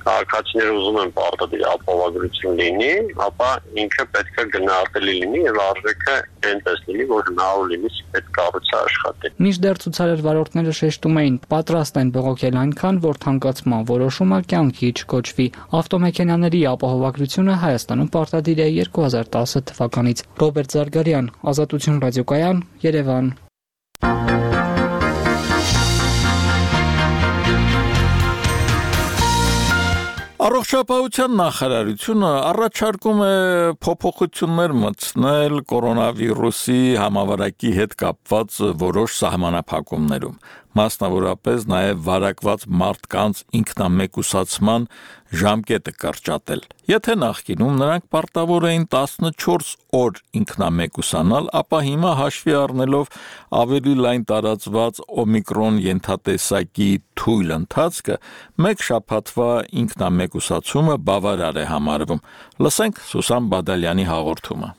քաղաքացիները ուզում են պարտադիր ապահովագրություն լինի, ապա ինքը պետք է գնահատելի լինի եւ արժեքը այնպես լինի, որ հնարավոր լինի այդ կառույցը աշխատի։ Մինչդեռ ցուցարար վարորդները շեշտում էին, պատրաստ են բողոքել այնքան, որ թանկացման որոշումը կյանքի չկոչվի։ Ավտոմեքենաների ապահովագրությունը Հայաստանում պարտադիր է 2010 թվականից։ Ռոբերտ Զարգարյան, Ազատություն ռադիոկայան, Երևան։ Առողջապահության նախարարությունը առաջարկում է փոփոխություններ մտցնել կորոնավիրուսի համավարակի հետ կապված որոշ սահմանափակումներում, մասնավորապես նաև վարակված մարդկանց ինքնամեկուսացման ժամկետը կրճատել։ Եթե նախկինում նրանք պարտավոր էին 14 օր ինքնամեկուսանալ, ապա հիմա հաշվի առնելով ավելի լայն տարածված օմիկրոն ենթատեսակի թույլ ընթացքը, մեկ շաբաթվա ինքնամեկուսացումը բավարար է համարվում։ Լսենք Սուսան Բադալյանի հաղորդումը։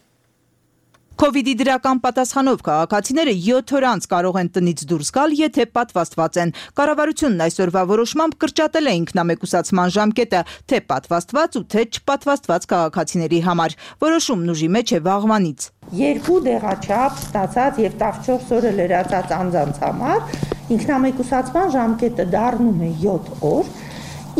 Կովիդի դրական պատասխանով քաղաքացիները 7 օր անց կարող են տնից դուրս գալ, եթե պատվաստված են։ Կառավարությունն այսօրվա որոշմամբ կրճատել է ինքնամեկուսացման ժամկետը թե պատվաստված ու թե չպատվաստված քաղաքացիների համար։ Որոշումն ուժի մեջ է վաղվանից։ 2 դեղաչափ ստացած եւ 14 օրը լրացած անձանց համար ինքնամեկուսացման ժամկետը դառնում է 7 օր,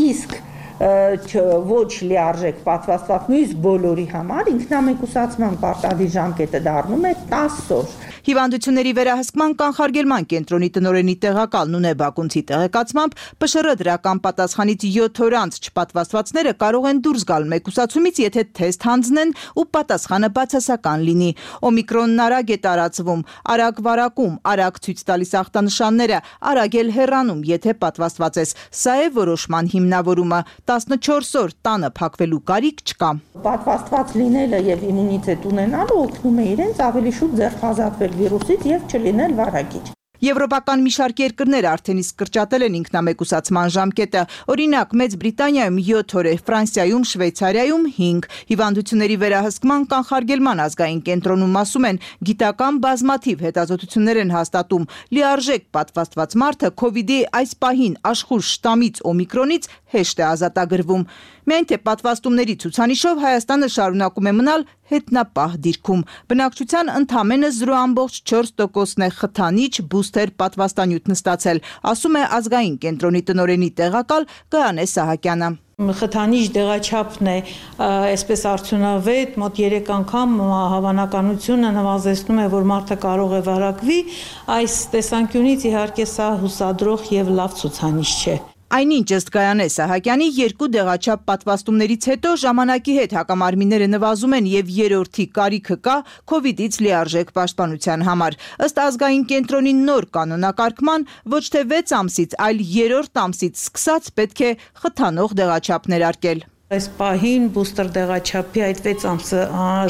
իսկ ոչ լիարժեք պատվաստված նույնիսկ բոլորի համար ինքնամեկուսացման պարտադիր ժամկետը դառնում է 10 օր։ Հիվանդությունների վերահսկման կանխարգելման կենտրոնի տնօրենի տեղակալ Նունե Բակունցի տեղեկացմամբ ՊՇՌ դրական պատասխանից 7 օր անց չպատվաստվածները կարող են դուրս գալ մեկուսացումից, եթե թեստ հանձնեն ու պատասխանը բացասական լինի։ Օմիկրոնն արագ է տարածվում, արագ վարակում, արագ ցույց տալիս ախտանշանները, արագ էլ հեռանում, եթե պատվաստված ես։ Սա է որոշման հիմնավորումը։ 14 օր տանը փակվելու կարիք չկա։ Պատվաստված լինելը եւ իմունիտետ ունենալը օգնում է իրենց ավելի շուտ ձերբազատվել վիրուսից եւ չլինել վարակիչ։ Եվրոպական մի շարք երկրներ արդեն իսկ կրճատել են ինքնամեկուսացման ժամկետը։ Օրինակ, Մեծ Բրիտանիայում 7 օր է, Ֆրանսիայում, Շվեյցարիայում 5։ Հիվանդությունների վերահսկման կանխարգելման ազգային կենտրոնում ասում են, գիտական բազմաթիվ հետազոտություններ են հաստատում, լիարժեք պատվաստված մարդը COVID-ի այս պահին աշխուժ շտամից օմիկրոնից հեշտ է ազատագրվում։ Միայն թե պատվաստումների ցուցանիշով Հայաստանը շարունակում է մնալ հետնապահ դիրքում։ Բնակչության ընդամենը 0.4%-ն է խթանիչ բուստեր պատվաստանյութ նստացել, ասում է ազգային կենտրոնի տնօրենի տեղակալ Գայանե Սահակյանը։ Խթանիչ դեղաչափն է այսպես արդյունավետ, մոտ 3 անգամ հավանականությունը նվազեցնում է, որ մարդը կարող է վարակվի, այս տեսանկյունից իհարկե սա հուսադրող եւ լավ ցուցանիշ չէ։ Այնինչ ըստ Գայանե Սահակյանի 2 դեղաչափ պատվաստումներից հետո ժամանակի հետ հակամարմինները նվազում են եւ երրորդի կարիքը կա COVID-ից լիարժեք պաշտպանության համար։ Ըստ ազգային կենտրոնի նոր կանոնակարգման ոչ թե 6 ամսից, այլ 3-րդ ամսից սկսած պետք է խթանող դեղաչափ ներարկել։ Այս պահին բուստեր դեղաչափի այդ 6 ամսը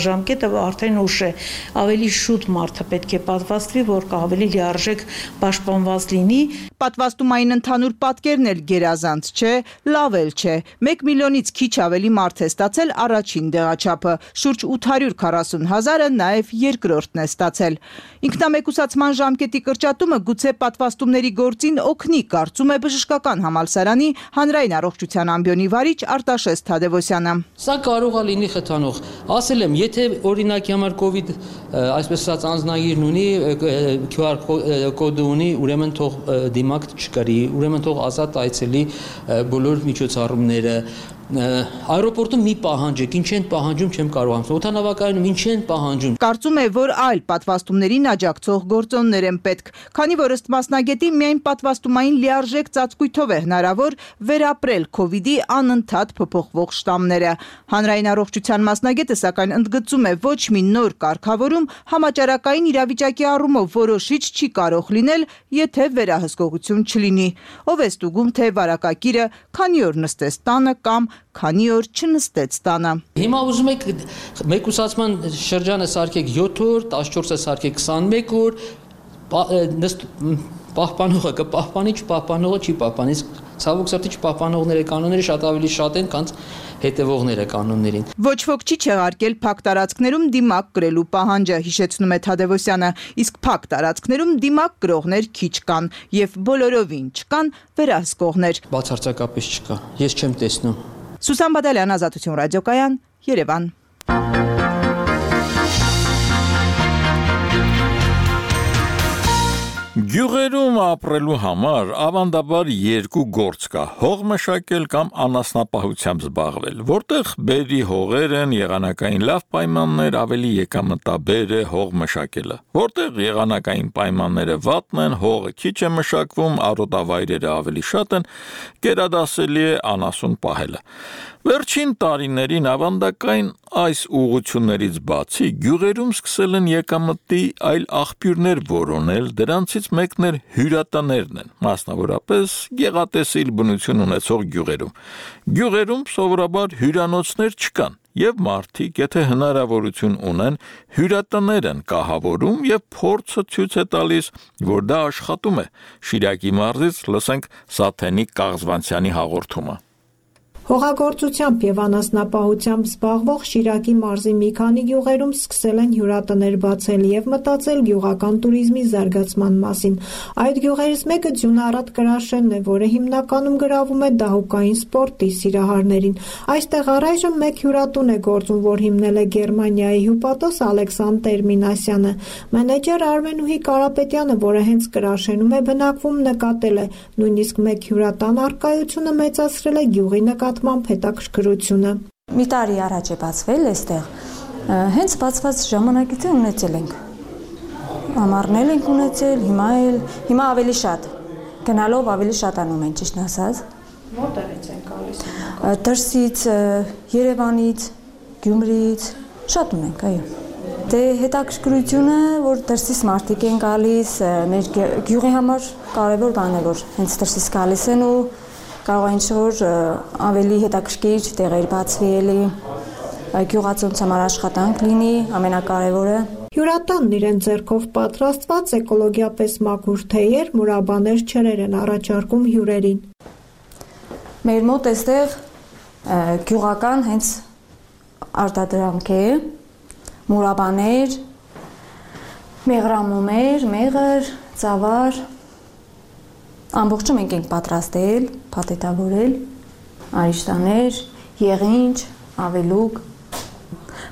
ժամկետը արդեն ուշ է, ավելի շուտ մարդը պետք է պատվաստվի, որ ավելի լիարժեք պաշտպանված լինի։ Պատվաստումային ընդհանուր պատկերն էլ գերազանց չէ, լավ էլ չէ։ 1 միլիոնից քիչ ավելի մարդ է ստացել առաջին դեղաչափը, շուրջ 840,000-ը նաև երկրորդն է ստացել։ Ինքնամեկուսացման ժամկետի կրճատումը գուցե պատվաստումների գործին օգնի, կարծում է Բժշկական համալսարանի հանրային առողջության ամբիոնի վարիչ Արտաշես Թադևոսյանը։ Սա կարող է լինի խթանող։ Ասել եմ, եթե օրինակի համար COVID, այսպես ասած, անձնագիրն ունի, QR կոդը ունի, ուրեմն թող դիմակ չկրի, ուրեմն թող ազատ այցելի բոլոր միջոցառումները։ Այրոպորտում մի պահանջ է, ինչ են պահանջում, չեմ կարող ասել։ Օդանավակայանում ինչ են պահանջում։ Կարծում է, որ այլ պատվաստումներին աջակցող գործոններ են պետք, քանի որ ըստ մասնագետի միայն պատվաստումային լիարժեք ծածկույթով է հնարավոր վերապրել COVID-ի անընդհատ փոփոխվող շտամները։ Հանրային առողջության մասնագետը սակայն ընդգծում է, ոչ մի նոր կարգավորում համաճարակային իրավիճակի առումով որոշիչ չի կարող լինել, եթե վերահսկողություն չլինի։ Ով է ստուգում, թե վարակագիրը քանի օր նստեց տանը կամ քանի օր չնստեց տանը։ Հիմա ուզում եք մեկուսացման շրջանը սարքեք 7 օր, 14-ը սարքեք 21 օր, պահպանողը կպահպանի, չպահպանողը չի պահպանի։ Ցավոք սրտի չպահպանողները կանոնները շատ ավելի շատ են, քան հետևողները կանոններին։ Ոչ ոք չի չեղարկել փակ տարածքներում դիմակ կրելու պահանջը, հիշեցնում է Թադևոսյանը, իսկ փակ տարածքներում դիմակ կրողներ քիչ կան եւ բոլորովին չկան վերահսկողներ։ Բացարձակապես չկա։ Ես չեմ տեսնում։ Սուսան Բադալյան, Ազատություն ռադիոկայան, Երևան։ Գյուղերում ապրելու համար ավանդաբար երկու գործ կա՝ հող մշակել կամ անասնապահությամբ զբաղվել, որտեղ բերի հողեր են, եղանակային լավ պայմաններ, ավելի եկամտաբեր է հող մշակելը, որտեղ եղանակային պայմանները վատն են, հողը քիչ է մշակվում, արոտավայրերը ավելի շատ են, գերադասելի է անասուն պահելը։ Վերջին տարիներին ավանդակային այս ուղղություններից բացի գյուղերում սկսել են եկամտի այլ աղբյուրներ որոնել, դրանցից մեկն էլ հյուրատաներն են, մասնավորապես գեղատեսիլ բնություն ունեցող գյուղերում։ Գյուղերում սովորաբար հյուրանոցներ չկան, եւ մարդիկ, եթե հնարավորություն ունեն, հյուրատներ են կահավորում եւ փորձը ցույց է տալիս, որ դա աշխատում է։ Շիրակի մարզից լսենք Սաթենիկ Կաղզվանցյանի հաղորդումը։ Հողագործությամբ եւ անասնապահությամբ զբաղվող Շիրակի մարզի մի քանի գյուղերում սկսել են հյուրատներ բացել եւ մտածել գյուղական туриզմի զարգացման մասին։ Այդ գյուղերից մեկը Ձյունառատ Կրաշենն է, որը հիմնականում գրավում է դահուկային սպորտի սիրահարներին։ Այստեղ առայժմ մեկ հյուրատուն է գործում, որ հիմնել է Գերմանիայի հյուպատոս Ալեքսանդր Մինասյանը։ Մենեջեր Արմենուհի Կարապետյանը, որը հենց Կրաշենում է բնակվում, նկատել է, նույնիսկ մեկ հյուրատան առկայությունը մեծացրել է գյուղի հետաքրքրությունը։ Մի տարի առաջ է բացվել այստեղ, հենց բացված ժամանակից ունեցել ենք, ամառնել ենք ունեցել, հիմա ավելի շատ, գնալով ավելի շատանում են, ճիշտ ասած։ Որտեղից են գալիս։ Դրսից, Երևանից, Գյումրիից, շատ ունենք, այո։ Դե հետաքրքրությունը, որ դրսից մարդիկ են գալիս, մեր գյուղի համար կարևոր բան է, որ հենց դրսից գալիս են ու կարող է ինչ-որ ավելի հետաքրքիր տեղեր բացվի էլի, գյուղացունց համար աշխատանք լինի, ամենակարևորը։ Հյուրատանն իրեն ձեռքով պատրաստված էկոլոգիապես մաքուր թեյեր, մուրաբաներ, ջրեր են առաջարկում հյուրերին։ Մեր մոտ այստեղ գյուղական հենց արտադրանք է, մուրաբաներ, մեղրամոմեր, մեղր, ծավար, ամբողջը մենք ենք պատրաստել, փաթեթավորել, արիշտաներ, եղինջ, ավելուկ։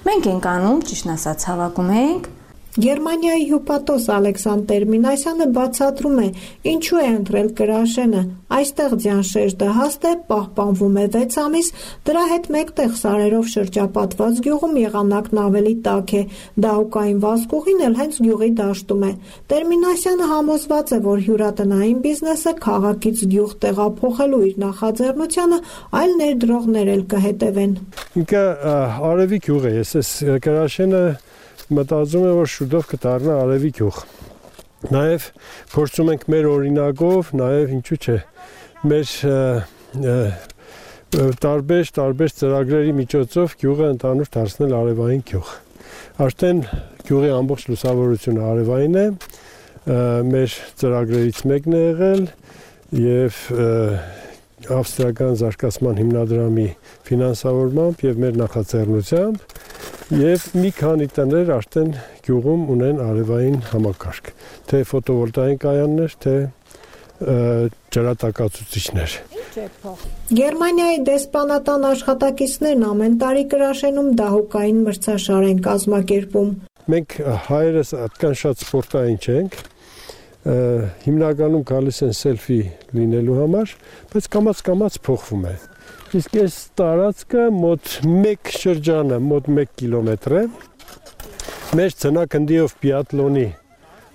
Մենք ենք անում, ճիշտ ասած, հավաքում ենք։ Գերմանիայի հյուպատոս Ալեքսանդր Մինասյանը բացատրում է, ինչու է ընտրել Կրաշենը։ Այստեղ ձյան շերջը հաստ է, պահպանվում է 6 ամիս, դրա հետ մեկտեղ սարերով շրջապատված գյուղում եղանակն ավելի տաք է, դահուկային վազգուղին էլ հենց գյուղի դաշտում է։ Մինասյանը համոզված է, որ հյուրատնային բիզնեսը քաղաքից գյուղ տեղափոխելու իր նախաձեռնությանը այլ ներդրողներ էլ կհետևեն։ Ինքը արևի գյուղ է, ես Կրաշենը մտածում եմ, որ շուտով կդառնա արևի գյուղ։ Նաև փորձում ենք մեր օրինակով, նաև ինչու՞ չէ, մեր տարբեր ծրագրերի միջոցով գյուղը ընդհանուր դարձնել արևային գյուղ։ Արդեն գյուղի ամբողջ լուսավորությունը արևային է, մեր ծրագրերից մեկն է եղել եւ ավստրիական զարգացման հիմնադրամի ֆինանսավորմամբ եւ մեր նախաձեռնությամբ եւ մի քանի տներ արդեն գյուղում ունեն արևային համակարգ, թե ֆոտովոլտային կայաններ, թե ջրատակացուցիչներ։ Գերմանիայի դեսպանատան աշխատակիցներն ամեն տարի Կրաշենում դահուկային մրցաշար են կազմակերպում։ Մենք հայերս այդքան շատ սպորտային չենք, հիմնականում գալիս են սելֆի լինելու համար, բայց կամաց փոխվում է։ Իսկ այս տարածքը մոտ 1 շրջանը, մոտ 1 կիլոմետր է։ Մեր ցնակնդիով բիատլոնի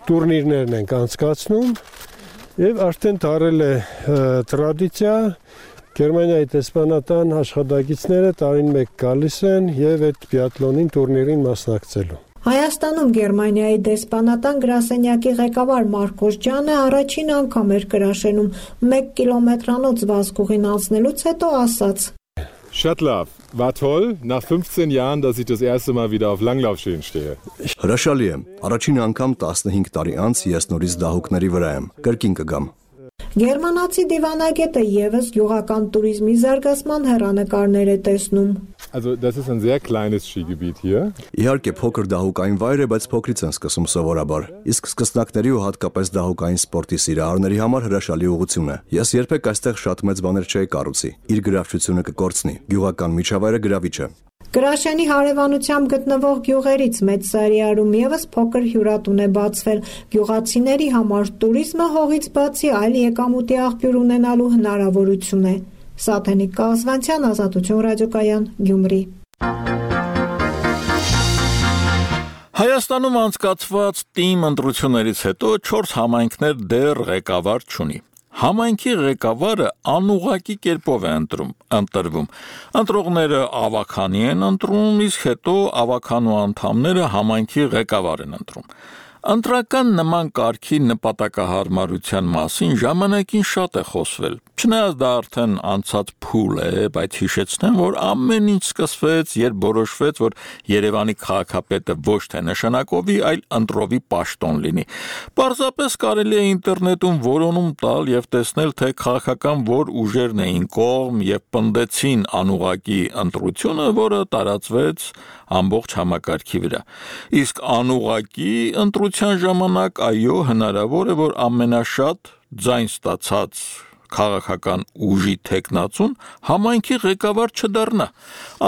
տուրնիրներն են անցկացնում եւ արդեն դարել է տրադիցիա, Գերմանիայի դեսպանատան աշխատակիցները տարին մեկ գալիս են եւ այդ բիատլոնին տուրնիրին մասնակցելու։ Հայաստանում Գերմանիայի դեսպանատան գրասենյակի ղեկավար Մարկոս Ջանը առաջին անգամ էր Կրաշենում 1 կիլոմետրանոց վազքուղին անցնելուց հետո ասաց. Շատ լավ, war toll, nach 15 Jahren, dass ich das erste Mal wieder auf Langlaufschienen stehe. Հրաշալի է, առաջին անգամ 15 տարի անց ես նորից դահուկների վրա եմ, կրկին կգամ։ Գերմանացի դիվանագետը եւս գյուղական туриզմի զարգացման հեռանկարներ է տեսնում։ Also, das ist ein sehr kleines Skigebiet hier. Իհարկե փոքր դահուկային վայր է, բայց փոքրից են սկսում սովորաբար։ Իսկ սկսնակների ու հատկապես դահուկային սպորտի սիրահարների համար հրաշալի ուղղություն է։ Ես երբեք այստեղ շատ մեծ բաներ չէի կառուցի։ Իր գրավչությունը կկորցնի։ Գյուղական միջավայրը գրավիչ է։ Կրաշենի հարևանությամբ գտնվող գյուղերից մեծ Սարիարում եւս փոքր հյուրատուն է բացվել։ Գյուղացիների համար туриզմը հողից բացի այլ եկամուտի աղբյուր ունենալու հնարավորություն է։ Սաթենիկ Կազվանցյան, Ազատություն ռադիոկայան, Գյումրի։ Հայաստանում անցկացված ՏԻՄ ընտրություններից հետո 4 համայնքներ դեռ ղեկավար չունի։ Համայնքի ղեկավարը անուղղակի կերպով է ընտրվում։ Ընտրողները ավականի են ընտրում, իսկ հետո ավականու անդամները համայնքի ղեկավար են ընտրում։ Ընտրական նման կարգի նպատակահարմարության մասին ժամանակին շատ է խոսվել։ Չնայած դա արդեն անցած փուլ է, բայց հիշեցնեմ, որ ամեն ինչ սկսվեց, երբ որոշվեց, որ Երևանի քաղաքապետը ոչ թե նշանակովի, այլ ընտրովի պաշտոն լինի։ Պարզապես կարելի է ինտերնետում որոնում տալ եւ տեսնել, թե քաղաքական որ ուժերն էին կողմ եւ պնդեցին անուղղակի ընտրությունը, որը տարածվեց ամբողջ համակարգի վրա։ Իսկ անուղղակի ընտրության ժամանակ այո, հնարավոր է, որ ամենաշատ ձայն ստացած քաղաքական ուժի տեխնացուն համայնքի ղեկավար չդառնա։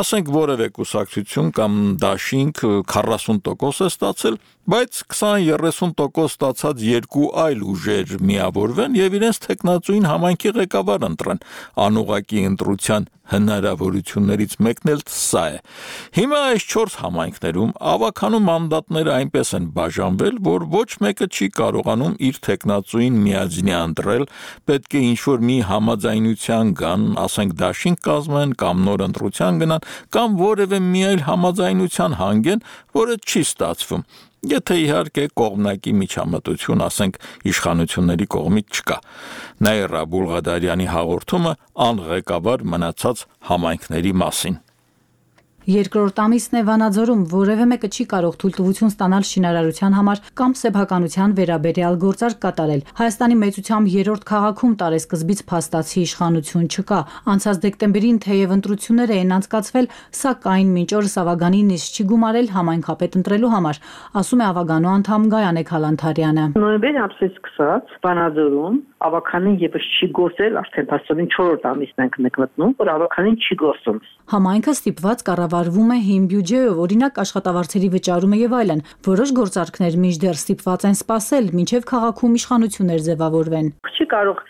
Ասենք որևէ կուսակցություն կամ դաշինք 40% է ստացել, բայց 20-30% ստացած երկու այլ ուժեր միավորվեն եւ իրենց տեխնացուին համայնքի ղեկավար ընտրեն։ Անուղղակի ընտրության հնարավորություններից մեկն էլ սա է։ Հիմա այս 4 համայնքներում ավականու մանդատները այնպես են բաժանվել, որ ոչ մեկը չի կարողանում իր տեխնացուին միաձնյա ընտրել, պետք է ինչ-որ մի համաձայնության գան, ասենք դաշինք կազմեն կամ նոր ընտրության գնան, կամ որևէ մի այլ համաձայնության հանգեն, որը չի ստացվում։ Եթե իհարկե կողմնակի միջամտություն, ասենք իշխանությունների կողմից չկա։ Նաիրա Բուլղադարյանի հաղորդումը անղեկավար մնացած համայնքների մասին։ Երկրորդ ամիսն է Վանաձորում որևէ մեկը չի կարող թույլտվություն ստանալ շինարարության համար կամ սեփականության վերաբերյալ գործարք կատարել։ Հայաստանի մեծությամբ 3-րդ քաղաքում տարեսկզբից փաստացի իշխանություն չկա։ Անցած դեկտեմբերին թեև ընտրություններ էին անցկացվել, սակայն մինչ օրս Ավագանի նիստ չի գումարել համայնքապետ ընտրելու համար, ասում է Ավագանու անդամ Գայանե Քալանթարյանը։ Նոյեմբերի ամսից սկսած Վանաձորում ավականին եւս չի գործել, արդեն փաստորեն 4-րդ ամիսն ենք մենք մտնում, որ ավականին չի գործում։ Համայնքը ստիպված կառավարվում է հիմ բյուջեով, օրինակ աշխատավարձերի վճարումը եւ այլն։ Որոշ գործարքներ մինչդեռ ստիպված են սպասել, մինչեւ քաղաքում իշխանություններ ձևավորվեն։ Չի կարող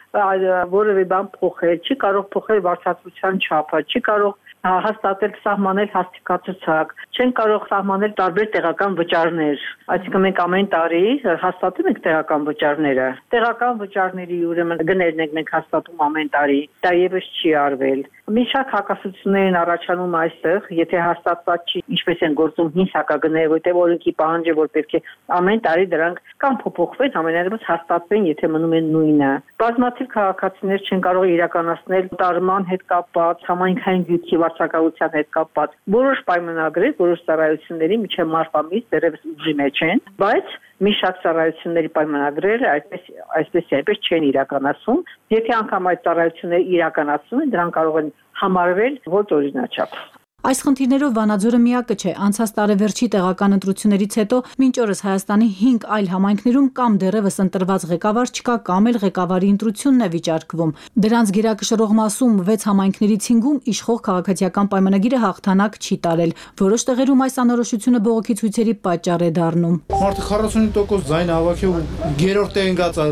որևէ բան փոխել, չի կարող փոխել վարձատրության չափը, չի կարող հաստատել սահմանել հաստիկացուցակ, չեն կարող սահմանել տարբեր տեղական վճարներ։ Այսինքն մենք ամեն տարի հաստատում ենք տեղական վճարները։ Տեղական վճարների ուրեմն գներն ենք մենք հաստատում ամեն տարի։ Դա եւս չի արվել։ Մի շարք հակասություններ են առաջանում այստեղ, եթե հաստատված չի, ինչպես են գործում հին հակագները, որտեղ օրենքի պահանջ է, որ պետք է ամեն տարի դրանք կամ փոփոխվեն, ամենայնիվս հաստատվեն, եթե մնում են նույնը։ Բազմաթիվ քաղաքացիներ չեն կարող իրականացնել տարման հետ կապված, համայնքային գյուտի վարձակալության հետ կապված որոշ պայմանագրեր, որոշ ծառայությունների միջև մարտ ամիս դեռևս ուժի մեջ են, բայց մի շարք ծառայությունների պայմանագրերը այսպես չեն իրականացում։ Եթե անգամ այդ ծառայությունները իրականացում են, դրանք կարող են համարվել ոչ օրինաչափ։ Այս խնդիրներով Վանաձորը միակը չէ։ Անցած տարեվերջի տեղական ընտրություններից հետո մինչ օրս Հայաստանի 5 այլ համայնքներում կամ դեռևս ընտրված ղեկավար չկա, կամ էլ ղեկավարի ընտրությունն է վիճարկվում։ Դրանց գերակշռող մասում 6 համայնքներից 5-ում իշխող քաղաքացիական պայմանագիրը հաղթանակ չի տարել։ Որոշ տեղերում այս անորոշությունը բողոքի ցույցերի պատճառ է դառնում։ Մարդը 45% ձայն հավաքի ու երրորդ տեղին գած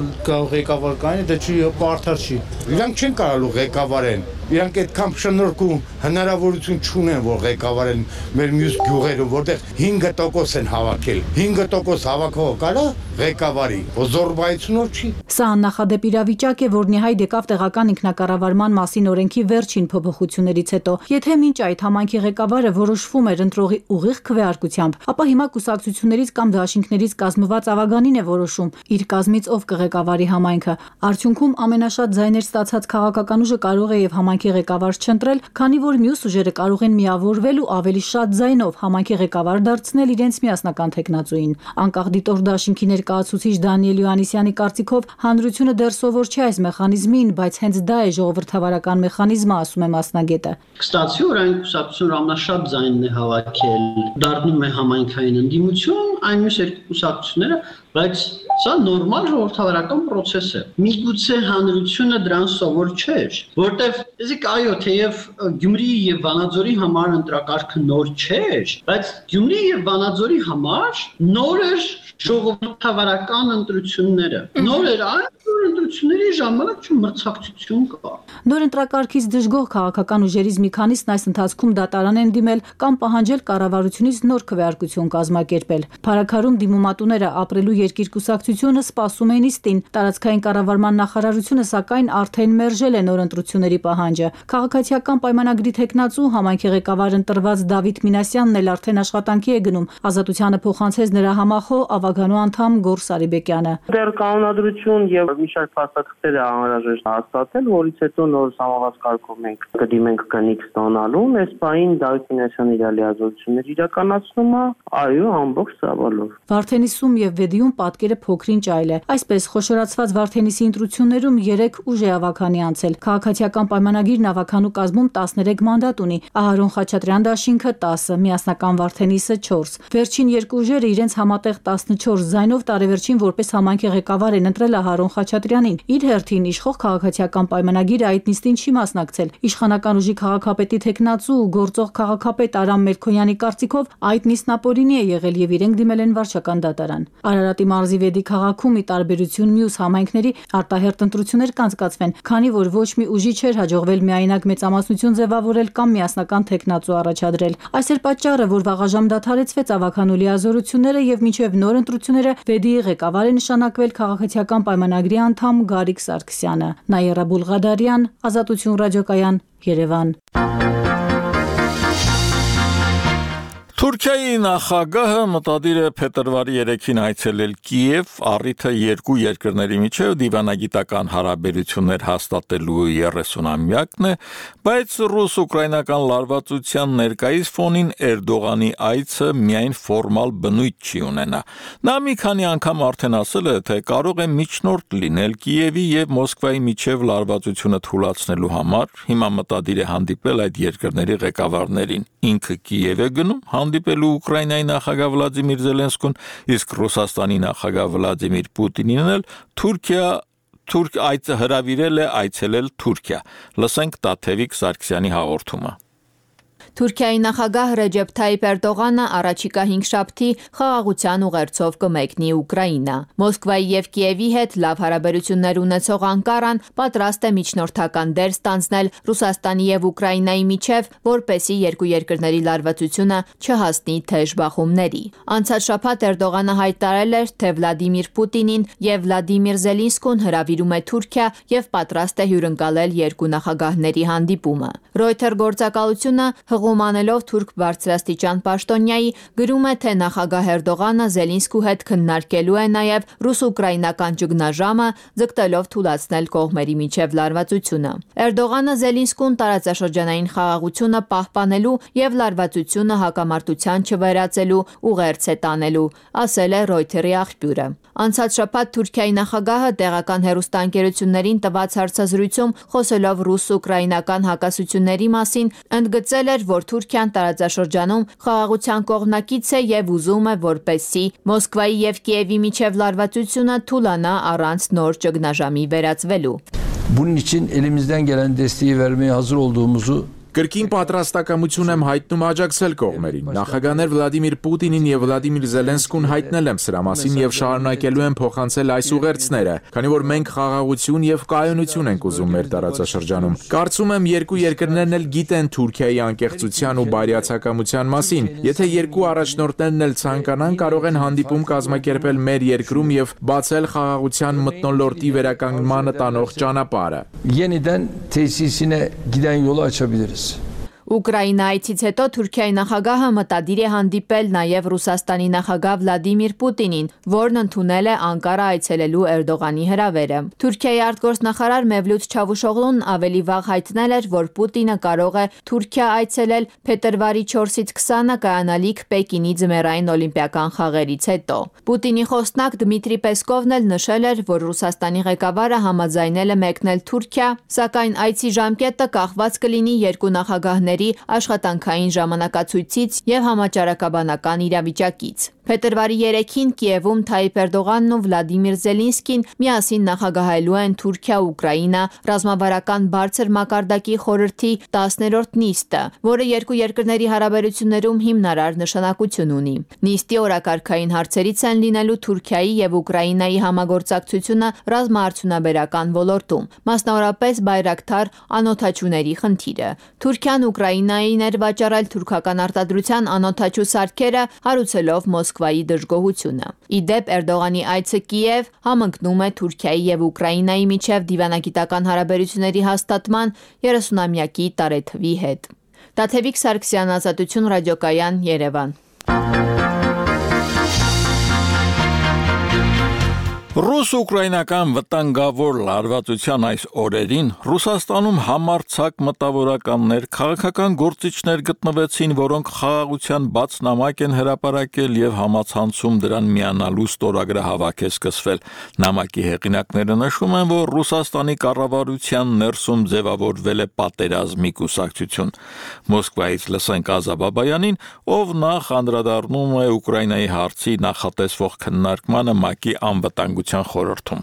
ղեկավար կային, դա չի արդար չի։ Իրանք չեն կարալու ղեկավարեն։ Իրանք այդքան շնորհք ու հնարավորություն չունեն, որ ղեկավարեն մեր մյուս գյուղերում, որտեղ 5% են հավաքել։ 5% հավաքող կարա ղեկավարի, զորբայությունով չի։ Սա աննախադեպ իրավիճակ է, որն ի հայտ եկավ տեղական ինքնակառավարման մասին օրենքի վերջին փոփոխություններից հետո։ Եթե մինչ այդ համայնքի ղեկավարը որոշվում էր ընտրողի ուղիղ քվեարկությամբ, ապա հիմա կուսակցություններից կամ դաշինքներից կազմված ավագանին է որոշում իր կազմից ով կղեկավարի համայնքը։ Արդյունքում ամենաշատ ձայներ ստացած քաղաքական ուժը կարող է եւ համայնքի ղեկավար չընտրել, քանի որ մյուս ուժերը կարող են միավորվել ու ավելի շատ ձայնով համայնքի ղեկավար դարձնել իրենց միասնական թեկնածուին։ Անկախ դիտորդ դաշինքի ներկայացուցիչ Դանիել Յոհաննիսյանի կարծիքով հանրությունը դեռ սովոր չէ այս մեխանիզմին, բայց հենց դա է ժողովրդավարական մեխանիզմը, ասում է մասնագետը։ Կստացի, որ այն կուսակցությունը ամենաշատ ձայնն է հավաքել, դառնում է համայնքային ընդդիմություն, այն մյուս երկու կուսակցությունները, բայց սա նորմալ ժողովրդավարական process է։ Միգուցե հանրությունը դրան սովոր չէր, որտեվ իսկ այո, թեև Գյումրիի եւ Վանաձորի համար ընտրակարգը նոր չէր, բայց Գյումրիի եւ Վանաձորի համար նոր էր ժողովրդավարական ընտրությունները։ Նոր էր այն, որ ընտրությունների ժամանակ մրցակցություն կա։ Նոր ընտրակարգից դժգոհ քաղաքական ուժերից մի քանիսն այս ընթացքում դատարան են դիմել կամ պահանջել կառավարությունից նոր քվեարկություն կազմակերպել։ Փարաքարում դիմումատուները ապրելու երկիր կուսակցությունը սպասում են իստին։ Տարածքային կառավարման նախարարությունը սակայն արդեն մերժել է նոր ընտրությունների պահանջը։ Քաղաքացիական պայմանագրի թեկնածու համայնքի ղեկավար ընտրված Դավիթ Մինասյանն էլ արդեն աշխատանքի է գնում։ Ազատությանը փոխանցեց նրա համախոհ ավագանու անդամ Գոռ Սարիբեկյանը։ Դեռ կանոնադրություն եւ մի շարք փաստաթղթեր է անհրաժեշտ հաստատել, որից հետո նոր համավազ կարգով մենք կդիմենք կնիկ ստանալուն։ Այս պահին Դավիթ Մինասյանի իր լիազորություններ իրականացնում է, այո, ամբողջ ծավալով։ Վարդենիսում եւ Վեդիում պատկերը փոքրինչ այլ է։ Այսպես խոշորացված Վարդենիսի ընտրություններում 3 ուժ է ավագանի անցել։ Քաղաքացիական պայմանագիրն ավագանու կազմում 13 մանդատ ունի։ Ահարոն Խաչատրյան դաշինքը 10, միասնական Վարդենիսը 4։ Վերջին երկու ուժերը իրենց համատեղ 14 ձայնով տարեվերջին որպես համայնքի ղեկավար են ընտրել Ահարոն Խաչատրյանին։ Իր հերթին իշխող քաղաքացիական պայմանագիրը այդ նիստին չի մասնակցել։ Իշխանական ուժի քաղաքապետի թեկնածու գործող քաղաքապետ Արամ Մերքոյանի կարծիքով այդ նիստն ապօրինի է եղել եւ իրենք դիմել են վարչական դատարան։ Արարատի մարզի Վեդի քաղաքում ի տարբերություն մյուս համայնքների արտահերթ ընտրություններ կանցկացվեն, քանի որ ոչ մի ուժի չէր հաջողվել միայնակ մեծամասնություն ձևավորել կամ միասնական թեկնածու առաջադրել։ Այս էր պատճառը, որ վաղաժամ դադարեցվեց ավագանու լիազորությունները եւ մինչեւ նոր ընտրությունները Վեդիի ղեկավար է նշանակվել քաղաքացիական պայմանագրի անդամ Գարիկ Սարգսյանը։ Նաիրա Բուլղադարյան, Ազատություն ռադիոկայան, Երևան։ Թուրքիայի նախագահը մտադիր է փետրվարի 3-ին այցելել Կիև, առիթը երկու երկրների միջև դիվանագիտական հարաբերություններ հաստատելու 30-ամյակն է, բայց ռուս-ուկրաինական լարվածության ներկայիս ֆոնին Էրդողանի այցը միայն ֆորմալ բնույթ չի ունենա։ Նա մի քանի անգամ արդեն ասել է, թե կարող է միջնորդ լինել Կիևի եւ Մոսկվայի միջև լարվածությունը թույլատնելու համար, հիմա մտադիր է հանդիպել այդ երկրների ղեկավարներին։ Ինքը Կիև է գնում հանդիպելու Ուկրաինայի նախագահ Վլադիմիր Զելենսկուն, իսկ Ռուսաստանի նախագահ Վլադիմիր Պուտինին էլ հրավիրել է այցելել Թուրքիա։ Լսենք Տաթևիկ Սարգսյանի հաղորդումը։ Թուրքիայի նախագահ Ռեջեփ Թայիփ Էրդողանը առաջիկա 5 շաբթի խաղաղության ուղերձով կմեկնի Ուկրաինա։ Մոսկվայի եւ Կիևի հետ լավ հարաբերություններ ունեցող Անկարան պատրաստ է միջնորդական դեր ստանձնել Ռուսաստանի եւ Ուկրաինայի միջև, որպեսզի երկու երկրների լարվածությունը չհասնի թեժ բախումների։ Անցած շաբաթ Էրդողանը հայտարարել էր, թե Վլադիմիր Պուտինին եւ Վլադիմիր Զելենսկուն հրավիրում է Թուրքիա եւ պատրաստ է հյուրընկալել երկու նախագահների հանդիպումը։ Reuters գործակալությունը Հղում անելով թուրք բարձրաստիճան պաշտոնյայի գրում է, թե նախագահ Էրդողանը Զելինսկու հետ քննարկելու է նաև ռուս-ուկրաինական ճգնաժամը, ձգտելով թուլացնել կողմերի միջև լարվածությունը։ Էրդողանը Զելինսկուն տարածաշրջանային խաղաղությունը պահպանելու եւ լարվածությունը հակամարտության չվերածելու ուղերձ է տանելու, ասել է Reuters-ի աղբյուրը։ Անցած շաբաթ Թուրքիայի նախագահը տեղական հեռուստաընկերություններին տված հարցազրույցում խոսելով ռուս-ուկրաինական հակասությունների մասին ընդգծել էր, որ Թուրքիան տարածաշրջանում խաղաղության կողմնակից է եւ ուզում է, որպեսզի Մոսկվայի եւ Կիևի միջև լարվածությունը թուլանա առանց նոր ճգնաժամի վերածվելու։ Bunun için elimizden gelen desteği vermeye hazır olduğumuzu Կրկին պատրաստակամություն եմ հայտնում աջակցել կողմերին։ Նախագահներ Վլադիմիր Պուտինին եւ Վլադիմիր Զելենսկուն հայտնել եմ սրա մասին եւ շարունակելու եմ փոխանցել այս ուղերձները, քանի որ մենք խաղաղություն եւ կայունություն ենք ուզում մեր տարածաշրջանում։ Կարծում եմ երկու երկրներն էլ գիտեն Թուրքիայի անկեղծության ու բարյացակամության մասին։ Եթե երկու առաջնորդներն էլ ցանկանան, կարող են հանդիպում կազմակերպել մեր երկրում եւ բացել խաղաղության մթնոլորտի վերականգնմանը տանող ճանապարհը։ Yeniden tesisine giden yolu açabiliriz. Ուկրաինայից հետո Թուրքիայի նախագահը մտադիր է հանդիպել նաև Ռուսաստանի նախագահ Վլադիմիր Պուտինին, որն ընդունել է Անկարա այցելելու Էրդողանի հրավերը։ Թուրքիայի արտգործնախարար Մևլութ Չավուշօղլուն ավելի վաղ հայտնել էր, որ Պուտինը կարող է Թուրքիա այցելել փետրվարի 4-ից 20-ը կայանալիք Պեկինի ձմեռային օլիմպիական խաղերից հետո։ Պուտինի խոսնակ Դմիտրի Պեսկովն էլ նշել էր, որ Ռուսաստանի ղեկավարը համաձայնել է մեկնել Թուրքիա, սակայն այցի ժամկետը կախված կլինի երկու նախագահների աշխատանքային ժամանակացույցից եւ համաճարակաբանական իրավիճակից։ Փետրվարի 3-ին Կիևում Թայիպ Էրդողանն ու Վլադիմիր Զելինսկին միասին նախագահելու են Թուրքիա-Ուկրաինա ռազմավարական բարձր մակարդակի խորհրդի 10-րդ նիստը, որը երկու երկրների հարաբերություններում հիմնարար նշանակություն ունի։ Նիստի օրակարգային հարցերից են լինելու Թուրքիայի եւ Ուկրաինայի համագործակցությունը ռազմաարդյունաբերական ոլորտում, մասնավորապես Բայրակթար անօդաչուների խնդիրը։ Թուրքիան Ուկրաինային էր վաճառել թուրքական արտադրության անօդաչու սարքերը, հարուցելով Մոսկվայի դժգոհությունը։ Ի դեպ Էրդողանի այցը Կիև համընկնում է Թուրքիայի եւ Ուկրաինայի միջև դիվանագիտական հարաբերությունների հաստատման 30-ամյակի տարեթվի հետ։ Տաթևիկ Սարգսյան, Ազատություն ռադիոկայան, Երևան։ Ռուս-ուկրաինական վտանգավոր լարվածության այս օրերին Ռուսաստանում համարձակ մտավորականներ, քաղաքական գործիչներ գտնվեցին, որոնք խաղաղության բաց նամակ են հրապարակել եւ համացանցում դրան միանալու ստորագրահավաք է սկսվել։ Նամակի հեղինակները նշում են, որ Ռուսաստանի կառավարության ներսում ձևավորվել է պատերազմի կուսակցություն։ Մոսկվայից լսենք Ազա Բաբայանին, ով նախ անդրադառնում է Ուկրաինայի հարցի նախատեսվող քննարկմանը ՄԱԿ-ի անվտանգության խորհրդում։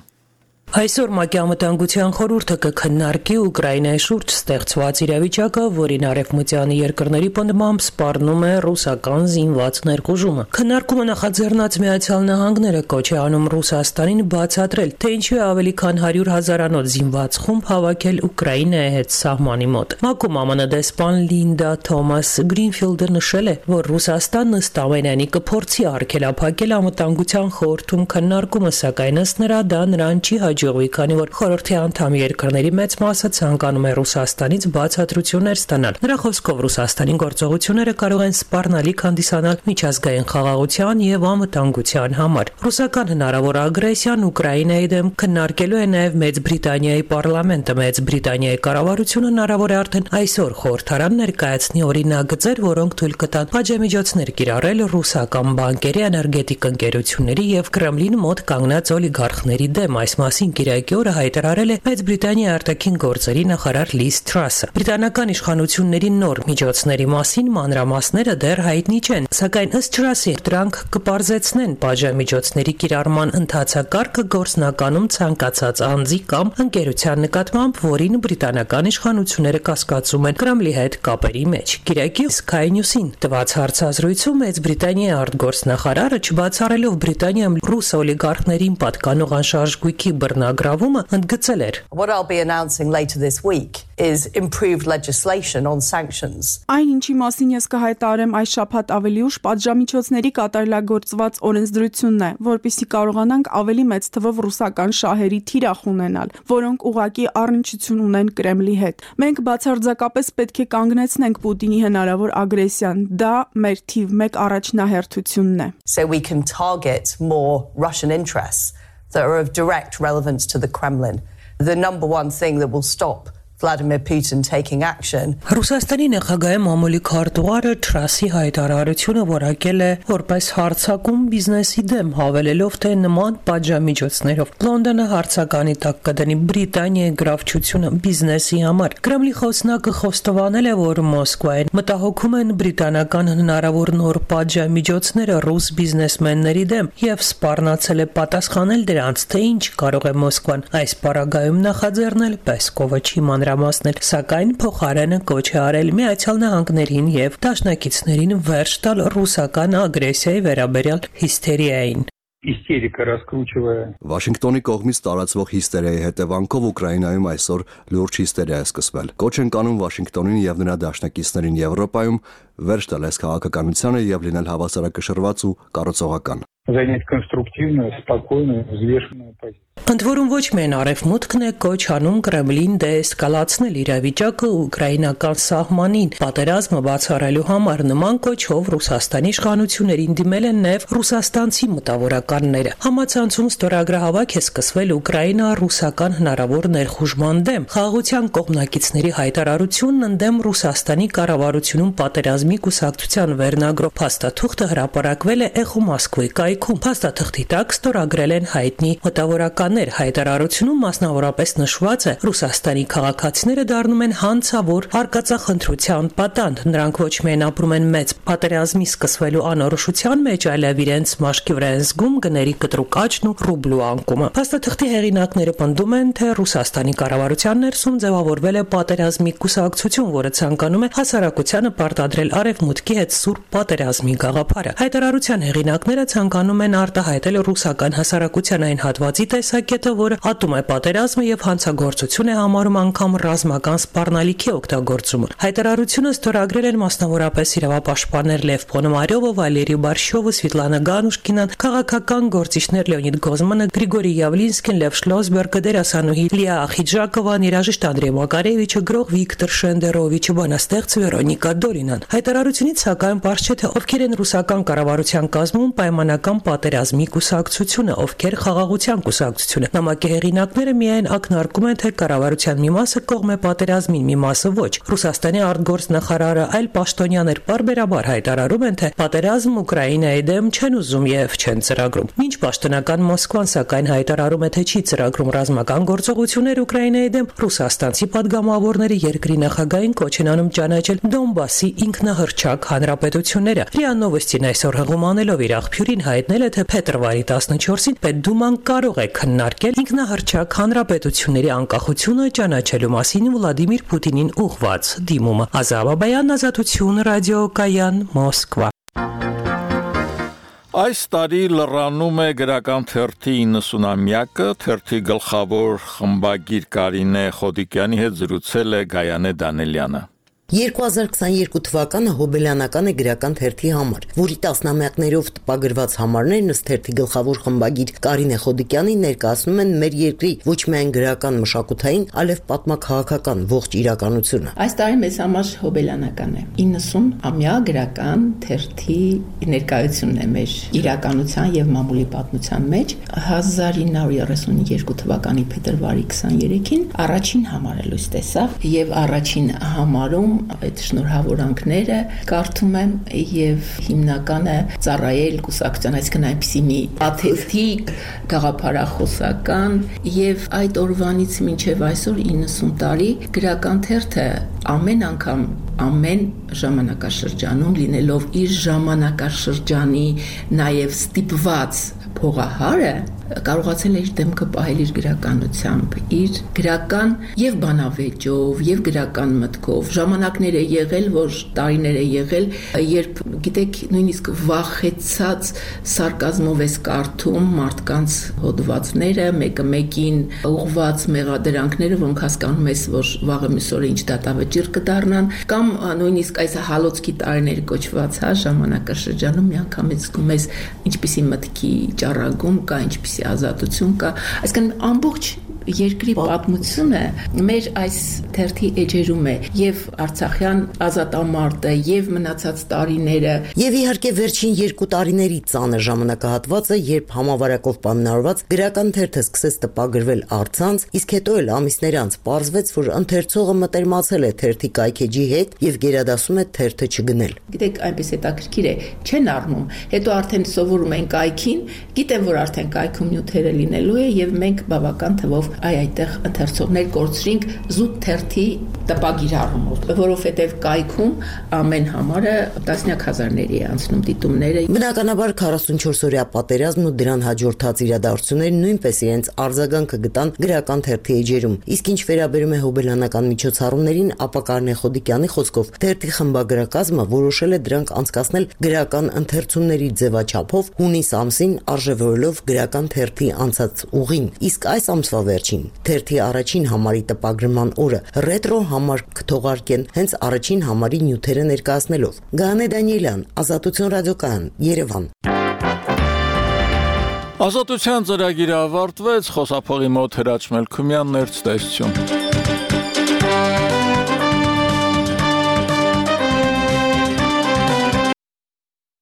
Այսօր ՄԱԿ-ի անվտանգության խորհուրդը կքննարկի Ուկրաինայի շուրջ ստեղծված իրավիճակը, որին արևմտյան երկրների պնդմամբ սպառնում է ռուսական զինված ներխուժումը։ Քննարկումը նախաձեռնած Միացյալ Նահանգները կոչ է անում Ռուսաստանին բացատրել, թե ինչու է ավելի քան 100,000-անոց զինված խումբ հավաքել Ուկրաինայի հետ սահմանի մոտ։ ՄԱԿ-ում ԱՄՆ դեսպան Լինդա Թոմաս Գրինֆիլդը նշել է, որ Ռուսաստանն ըստ ամենայնի կփորձի արգելափակել անվտանգության խորհրդում քննարկումը, սակայն ըստ նրա դա նրան չի հաջողվի, քանի որ խորհրդի անդամ երկրների մեծ մասը ցանկանում է Ռուսաստանից բացատրություններ ստանալ։ Նրա խոսքով Ռուսաստանի գործողությունները կարող են սպառնալիք հանդիսանալ միջազգային խաղաղության եւ անվտանգության համար։ Ռուսական հնարավոր ագրեսիան Ուկրաինայի դեմ քննարկելու է նաեւ Մեծ Բրիտանիայի պարլամենտը։ Մեծ Բրիտանիայի կառավարությունը հնարավոր է արդեն այսօր խորհրդարան ներկայացնի օրինագծեր, որոնք թույլ կտան պատժամիջոցներ կիրառել ռուսական բանկերի, էներգետիկ ընկերությունների եւ Կրեմլին մոտ կանգնած օլիգարխների դեմ։ Այս մասին Կիրակի օրը հայտարարել է Մեծ Բրիտանիայի արտաքին գործերի նախարար Լիզ Թրասը։ Բրիտանական իշխանությունների նոր միջոցների մասին մանրամասները դեռ հայտնի չեն, սակայն ըստ Թրասի դրանք կպարզեցնեն պատժամիջոցների կիրառման ընթացակարգը գործնականում ցանկացած անձի կամ ընկերության նկատմամբ, որին բրիտանական իշխանությունները կասկածում են Կրեմլի հետ կապերի մեջ։ Կիրակի Sky News-ին տված հարցազրույցում Մեծ Բրիտանիայի արտգործնախարարը չբացառելով Բրիտանիայում ռուս օլիգարխներին պատկանող անշարժ գույքի վերնագրավումը ընդգծել էր. What I'll be announcing later this week is improved legislation on sanctions. Այն ինչի մասին ես կհայտարարեմ այս շաբաթ ավելի ուշ պատժամիջոցների կատարելագործված օրենսդրությունն է, որպեսզի կարողանանք ավելի մեծ թվով ռուսական շահերի թիրախ ունենալ, որոնք ուղղակի առնչություն ունեն Կրեմլի հետ։ Մենք բացարձակապես պետք է կանգնեցնենք Պուտինի հնարավոր ագրեսիան, դա մեր թիվ 1 առաջնահերթությունն է։ So we can target more Russian interests that are of direct relevance to the Kremlin. The number one thing that will stop Vladimir Putin taking action. Ռուսաստանի նախագահի մամուլի քարտուղարը Թրասի հայտարարությունը որակել է որպես հարձակում բիզնեսի դեմ, հավելելով, թե նման պատժամիջոցներով Լոնդոնը հարձականի տակ կդնի Բրիտանիայի գրավչությունը բիզնեսի համար։ Կրեմլի խոսնակը խոստովանել է, որ Մոսկվային մտահոգում են բրիտանական հնարավոր նոր պատժամիջոցները ռուս բիզնեսմենների դեմ եւ սպառնացել է պատասխանել դրանց, թե ինչ կարող է Մոսկվան այս պարագայում նախաձեռնել, Պեսկովը չի մանրամասնել, սակայն փոխարենը կոչ է արել Միացյալ Նահանգներին եւ դաշնակիցներին վերջ տալ ռուսական ագրեսիայի վերաբերյալ հիստերիային։ Истерика раскручивая. Վաշինգտոնի կողմից տարածվող հիստերիայի հետևանքով Ուկրաինայում այսօր լուրջ հիստերիա է սկսվել։ Կոչ են կանում Վաշինգտոնին եւ նրա դաշնակիցներին Եվրոպայում վերջ տալ այս քաղաքականությանը եւ լինել հավասարակշռված ու կառուցողական։ Занять конструктивную, спокойную, взвешенную позицию. Ընդ որում ոչ միայն Արևմուտքն է կոչ անում Կրեմլին դեէսկալացնել իրավիճակը ուկրաինական սահմանին, պատերազմը բացառելու համար նման կոչով Ռուսաստանի իշխանություններին դիմել են նաև ռուսաստանցի մտավորականները։ Համացանցում ստորագրահավաք է սկսվել Ուկրաինա-ռուսական հնարավոր ներխուժման դեմ։ Խաղաղության կողմնակիցների հայտարարությունն ընդդեմ Ռուսաստանի կառավարությունում պատերազմի կուսակցության վերնագրով փաստաթուղթը հրապարակվել է Էխո Մոսկվայի կայքում։ Փաստաթղթի տակ ստորագրել են հայտնի մտավորականներ։ Հայտարարությունում մասնավորապես նշված է Ռուսաստանի քաղաքացիները դառնում են հանցավոր արկածախնդրության պատանդ։ Նրանք ոչ միայն ապրում են մեծ պատերազմի սկսվելու անորոշության մեջ, այլև իրենց մաշկի վրա են զգում գների կտրուկ աճն ու ռուբլու անկումը։ Փաստաթղթի հեղինակները պնդում են, թե Ռուսաստանի կառավարության ներսում ձևավորվել է պատերազմի կուսակցություն, որը ցանկանում է հասարակությանը պարտադրել Արևմուտքի հետ սուրբ պատերազմի գաղափարը։ Հայտարարության հեղինակները ցանկանում են արտահայտել ռուսական հասարակության այն հատվածի տեսակետը, որը ատում է պատերազմը եւ հանցագործություն է համարում անգամ ռազմական սպառնալիքի օգտագործումը։ Հայտարարությունը ստորագրել են մասնավորապես իրավապաշտպաններ Լև Պոնոմարյովը, Վալերի Բարշյովը, Սվետլանա Գանուշկինան, քաղաքական գործիչներ Լեոնիդ Գոզմանը, Գրիգորի Յավլինսկին, Լև Շլոսբերգը, դերասանուհի Լիա Ախիջակովան, երաժիշտ Անդրեյ Մակարևիչը, գրող Վիկտոր Շենդերովիչը, բանաստեղծ Վերոնիկա Դորինան։ Հայտարարությունից սակայն պարզ չէ, թե ովքեր են ռուսական կառավարության կազմում պայմանական պատերազմի կուսակցությունը, ովքեր խաղաղության կուսակցությունը։ Նամակի հեղինակները միայն ակնարկում են, թե կառավարության մի մասը կողմ է պատերազմին, մի մասը ոչ։ Ռուսաստանի արտգործնախարարը այլ պաշտոնյաներ պարբերաբար հայտարարում են, թե պատերազմ Ուկրաինայի դեմ չեն ուզում եւ չեն ծրագրում։ Մինչ պաշտոնական Մոսկվան սակայն հայտարարում է, թե չի ծրագրում ռազմական գործողություններ Ուկրաինայի դեմ, ռուսաստանցի падգամավորները երկրի նախագահին կոչ են անում ճանաչել Դոնբասի ինքնահռչակ հանրապետությունները։ ՌԻԱ Նովոստին այսօր հղումանելով իր աղբյուրին հայտնել է, թե փետրվարի 14-ին Պետդուման կարող է քննարկել ինքնահռչակ հանրապետությունների անկախությունը ճանաչելու մասին Վլադիմիր Պուտինին ուղղված դիմումը։ Ազա Բաբայան, Ազատություն, ռադիոկայան, Մոսկվա։ Այս տարի լրանում է գրական թերթի 90-ամյակը, թերթի գլխավոր խմբագիր Կարինե Խոդիկյանի հետ զրուցել է Գայանե Դանելյանը։ 2022 թվականը հոբելյանական է գրական թերթի համար, որի տասնամյակներով տպագրված համարներն ըստ թերթի գլխավոր խմբագիր Կարինե Խոդիկյանի ներկայացնում են մեր երկրի ոչ միայն գրական մշակութային, այլև պատմաքաղաքական ողջ իրականությունը։ Այս տարի մեզ համար հոբելյանական է։ 90-ամյա գրական թերթի ներկայությունն է մեր իրականության եւ մամուլի պատմության մեջ։ 1932 թվականի փետրվարի 23-ին առաջին համարը լույս տեսավ եւ առաջին համարում այդ շնորհավորանքները կարդում եմ եւ հիմնականը ծառայել կուսակցության, այսինքն այնպիսի մի աթեթիկ գաղափարախոսական եւ այդ օրվանից մինչեւ այսօր 90 տարի գրական թերթը ամեն անգամ ամեն ժամանակաշրջանում լինելով իր ժամանակաշրջանի նաեւ ստիպված փողահարը կարողացել է իր դեմքը պահել իր գրականությամբ, իր գրական եւ բանավեճով, եւ գրական մտքով։ Ժամանակներ է եղել, որ տարիներ է եղել, երբ գիտեք, նույնիսկ վախեցած սարկազմով ես կարդում մարդկանց հոդվածները, մեկը մեկին ուղված մեղադրանքները, որոնք հասկանում ես, որ վաղը մյուս օրը ինչ դատավճիռ կդառնան, կամ նույնիսկ այս հալոցքի տարիներ կոչված, ժամանակաշրջանում միանգամից զգում ես ինչպիսի մտքի ճառագում կա, ինչպիսի ազատություն կա, այսինքն ամբողջ երկրի պատմությունը մեր այս թերթի էջերում է եւ Արցախյան ազատամարտը եւ մնացած տարիները եւ իհարկե վերջին 2 տարիների ծանր ժամանակահատվածը, երբ համավարակով պայմանավորված գրական թերթը սկսեց տպագրվել առցանց, իսկ հետո էլ ամիսներ անց պարզվեց, որ ընթերցողը մտերմացել է թերթի կայքեջի հետ եւ գերադասում է թերթը չգնել։ Գիտեք, այնպես հետաքրքիր է, չեն առնում, հետո արդեն սովորում են կայքին, գիտեն, որ արդեն կայքում նյութերը լինելու է եւ մենք բավական թվով այդտեղ ընթերցողներ կորցրինք զուտ թերթի տպագիր առումով, որովհետև կայքում ամեն համարը տասնյակ հազարների է անցնում դիտումները։ Բնականաբար 44-օրյա պատերազմն ու դրան հաջորդած իրադարձությունները նույնպես իրենց արձագանքը գտան գրական թերթի էջերում։ Իսկ ինչ վերաբերում է հոբելյանական միջոցառումներին, ապա Կարինե Խոդիկյանի խոսքով թերթի խմբագրակազմը որոշել է դրանք անցկացնել գրական ընթերցումների ձևաչափով հունիս ամսին արժևորելով գրական թերթի անցած ուղին։ Իսկ այս ամսվա վերջին թերթի առաջին համարի տպագրման օրը ռետրո համար կթողարկեն հենց առաջին համարի նյութերը ներկայացնելով։ Գանե Դանիելյան, Ազատություն ռադիոկայան, Երևան։ Ազատության ծրագիրը ավարտվեց, խոսափողի մոտ Հրաչ Մելքումյանն էր, ցտեսություն։